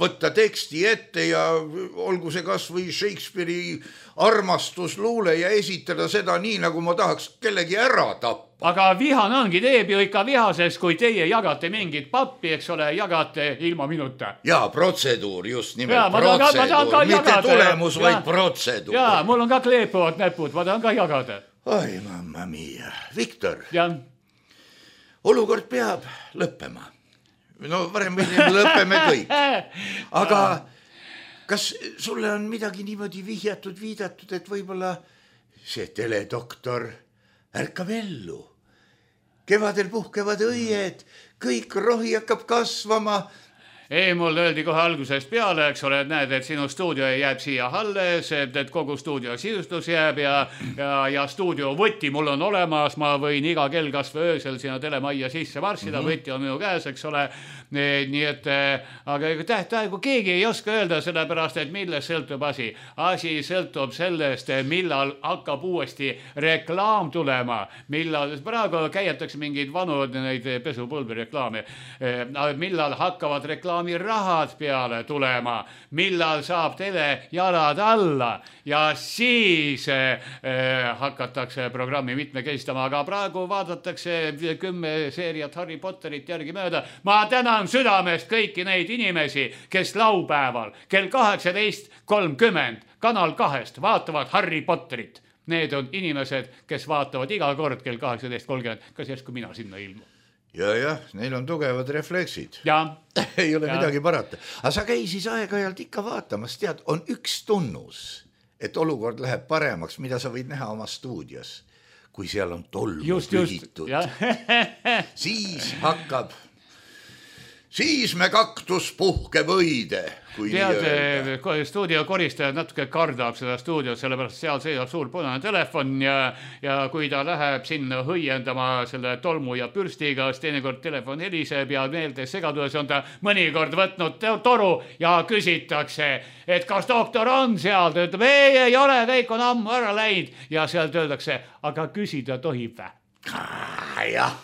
võtta teksti ette ja olgu see kas või Shakespeare'i armastusluule ja esitada seda nii, nagu ma tahaks kellegi ära tappa. Aga vihane ongi, teeb ju ikka vihasest, kui teie jagate mingit pappi, eks ole, jagate ilma minuta. Jaa, protseduur, just nimelt protseduur, mitte tulemus, vaid protseduur. Jaa, mul on ka kleepuvad näpud, ma tahan ka jagada. Oi, mamma mia. Viktor, ja. Olukord peab lõppema. No varem meil lõppeme kõik. Aga kas sulle on midagi niimoodi viidatud, et võib-olla see teledoktor ärkab ellu? Kevadel puhkevad õied, kõik rohi hakkab kasvama. Ei, mul öeldi kohe algusest peale, eks ole, et näed, et sinu stuudio jääb siia alles, et kogu stuudio sisustus jääb ja stuudio võti mul on olemas, ma võin iga kell kas või öösel sinna telemajja sisse varsida, võti on minu käes, eks ole, nii et aga tähtaegu keegi ei oska öelda sellepärast, et millest sõltub asi. Asi sõltub sellest, millal hakkab uuesti reklaam tulema, millal, praegu käiatakse mingeid vanu neid pesupulbri reklaame, millal hakkavad rahad peale tulema, millal saab tele jalad alla ja siis hakatakse programmi mitmekesistama, aga praegu vaadatakse 10 seeriat Harry Potterit järgi mööda. Ma tänan südamest kõiki neid inimesi, kes laupäeval kell 18:30 Kanal 2 vaatavad Harry Potterit. Need on inimesed, kes vaatavad iga kord kell 18:30, kas järsku mina sinna ilmu. Ja, neil on tugevad refleksid. Ja. Ei ole midagi parata. Aga sa käi siis aeg-ajalt ikka vaatamas, tead, on üks tunnus, et olukord läheb paremaks, mida sa võid näha oma stuudios, kui seal on tolmu pühitud. Siis me kaktus puhkeb õide. Tead, stuudio koristajad natuke kardab seda stuudiot, sellepärast seal seisab suur punane telefon ja kui ta läheb sinna hõiendama selle tolmu ja pürstiga, siis teinekord telefon heliseb ja meelde segaduses on ta mõnikord võtnud toru ja küsitakse, et kas doktor on seal, ta ütleb, ei ole, kõik on ammu ära läinud ja sealt öeldakse, aga küsida tohib vä? Jah.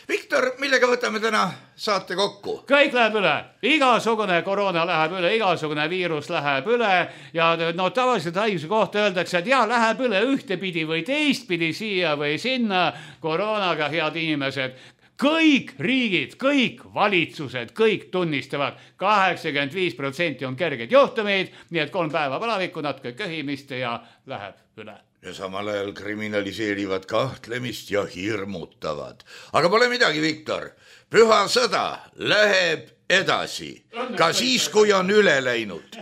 Viktor, millega võtame täna saate kokku? Kõik läheb üle. Igasugune koroona läheb üle, igasugune viirus läheb üle ja tavaliselt haiguse kohta öeldakse, et läheb üle ühtepidi või teistpidi siia või sinna koroonaga, head inimesed. Kõik riigid, kõik valitsused, kõik tunnistavad, 85% on kerged juhtumid, nii et 3 päeva palavikku, natuke köhimist ja läheb üle. Ja samal ajal kriminaliseerivad kahtlemist ja hirmutavad. Aga pole midagi, Viktor. Püha sõda läheb edasi, ka siis, kui on üle läinud.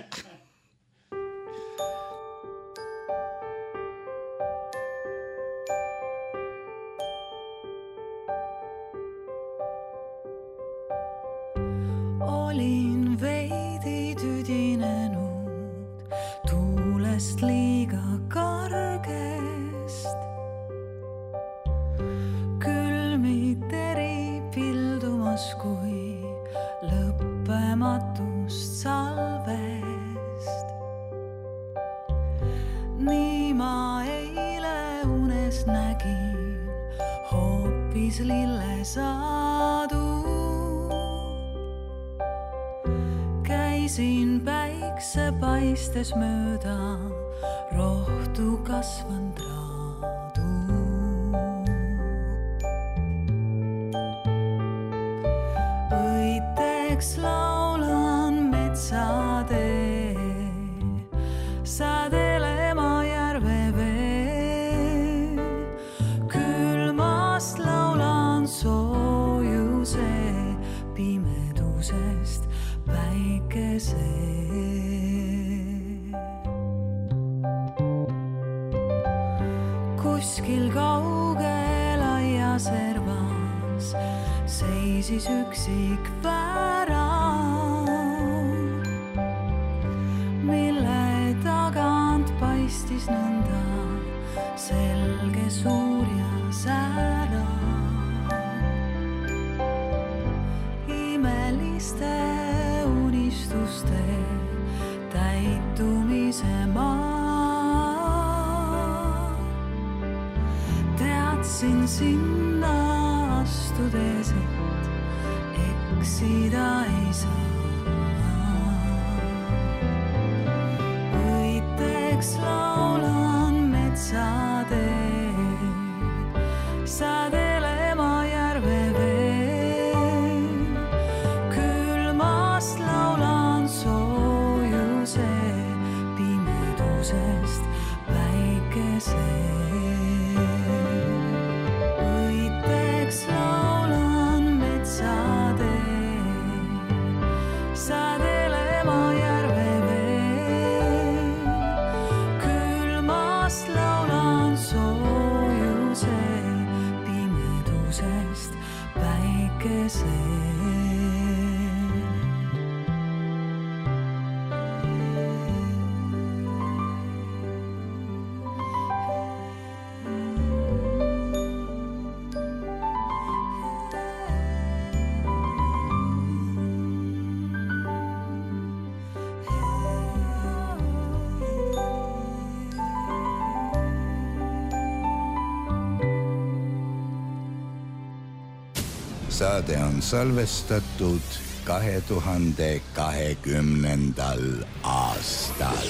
Olin veidi tüdinenud tuulest liiga kargest. Külmiteri pildumas kui lõppematust salvest. Nii ma eile unes nägin hoopis lillesaadu. Käisin päikse paistes mööda rohtu kasvanud raadu. Õiteks laulan metsa seisis üksik värav, mille tagant paistis nõnda selge, suur ja särav. Imeliste unistuste täitumise maa. Teadsin sinna astudes, et eksida ei saa. Õiteks laulan metsateed, sadele ma järve veel. Külmast laulan soojuse, pimedusest päikese. Õiteks laulan metsateed, sadele ma järve veel. Külmast laulan soojuse, pimedusest päikese. Saade on salvestatud 2020. aastal.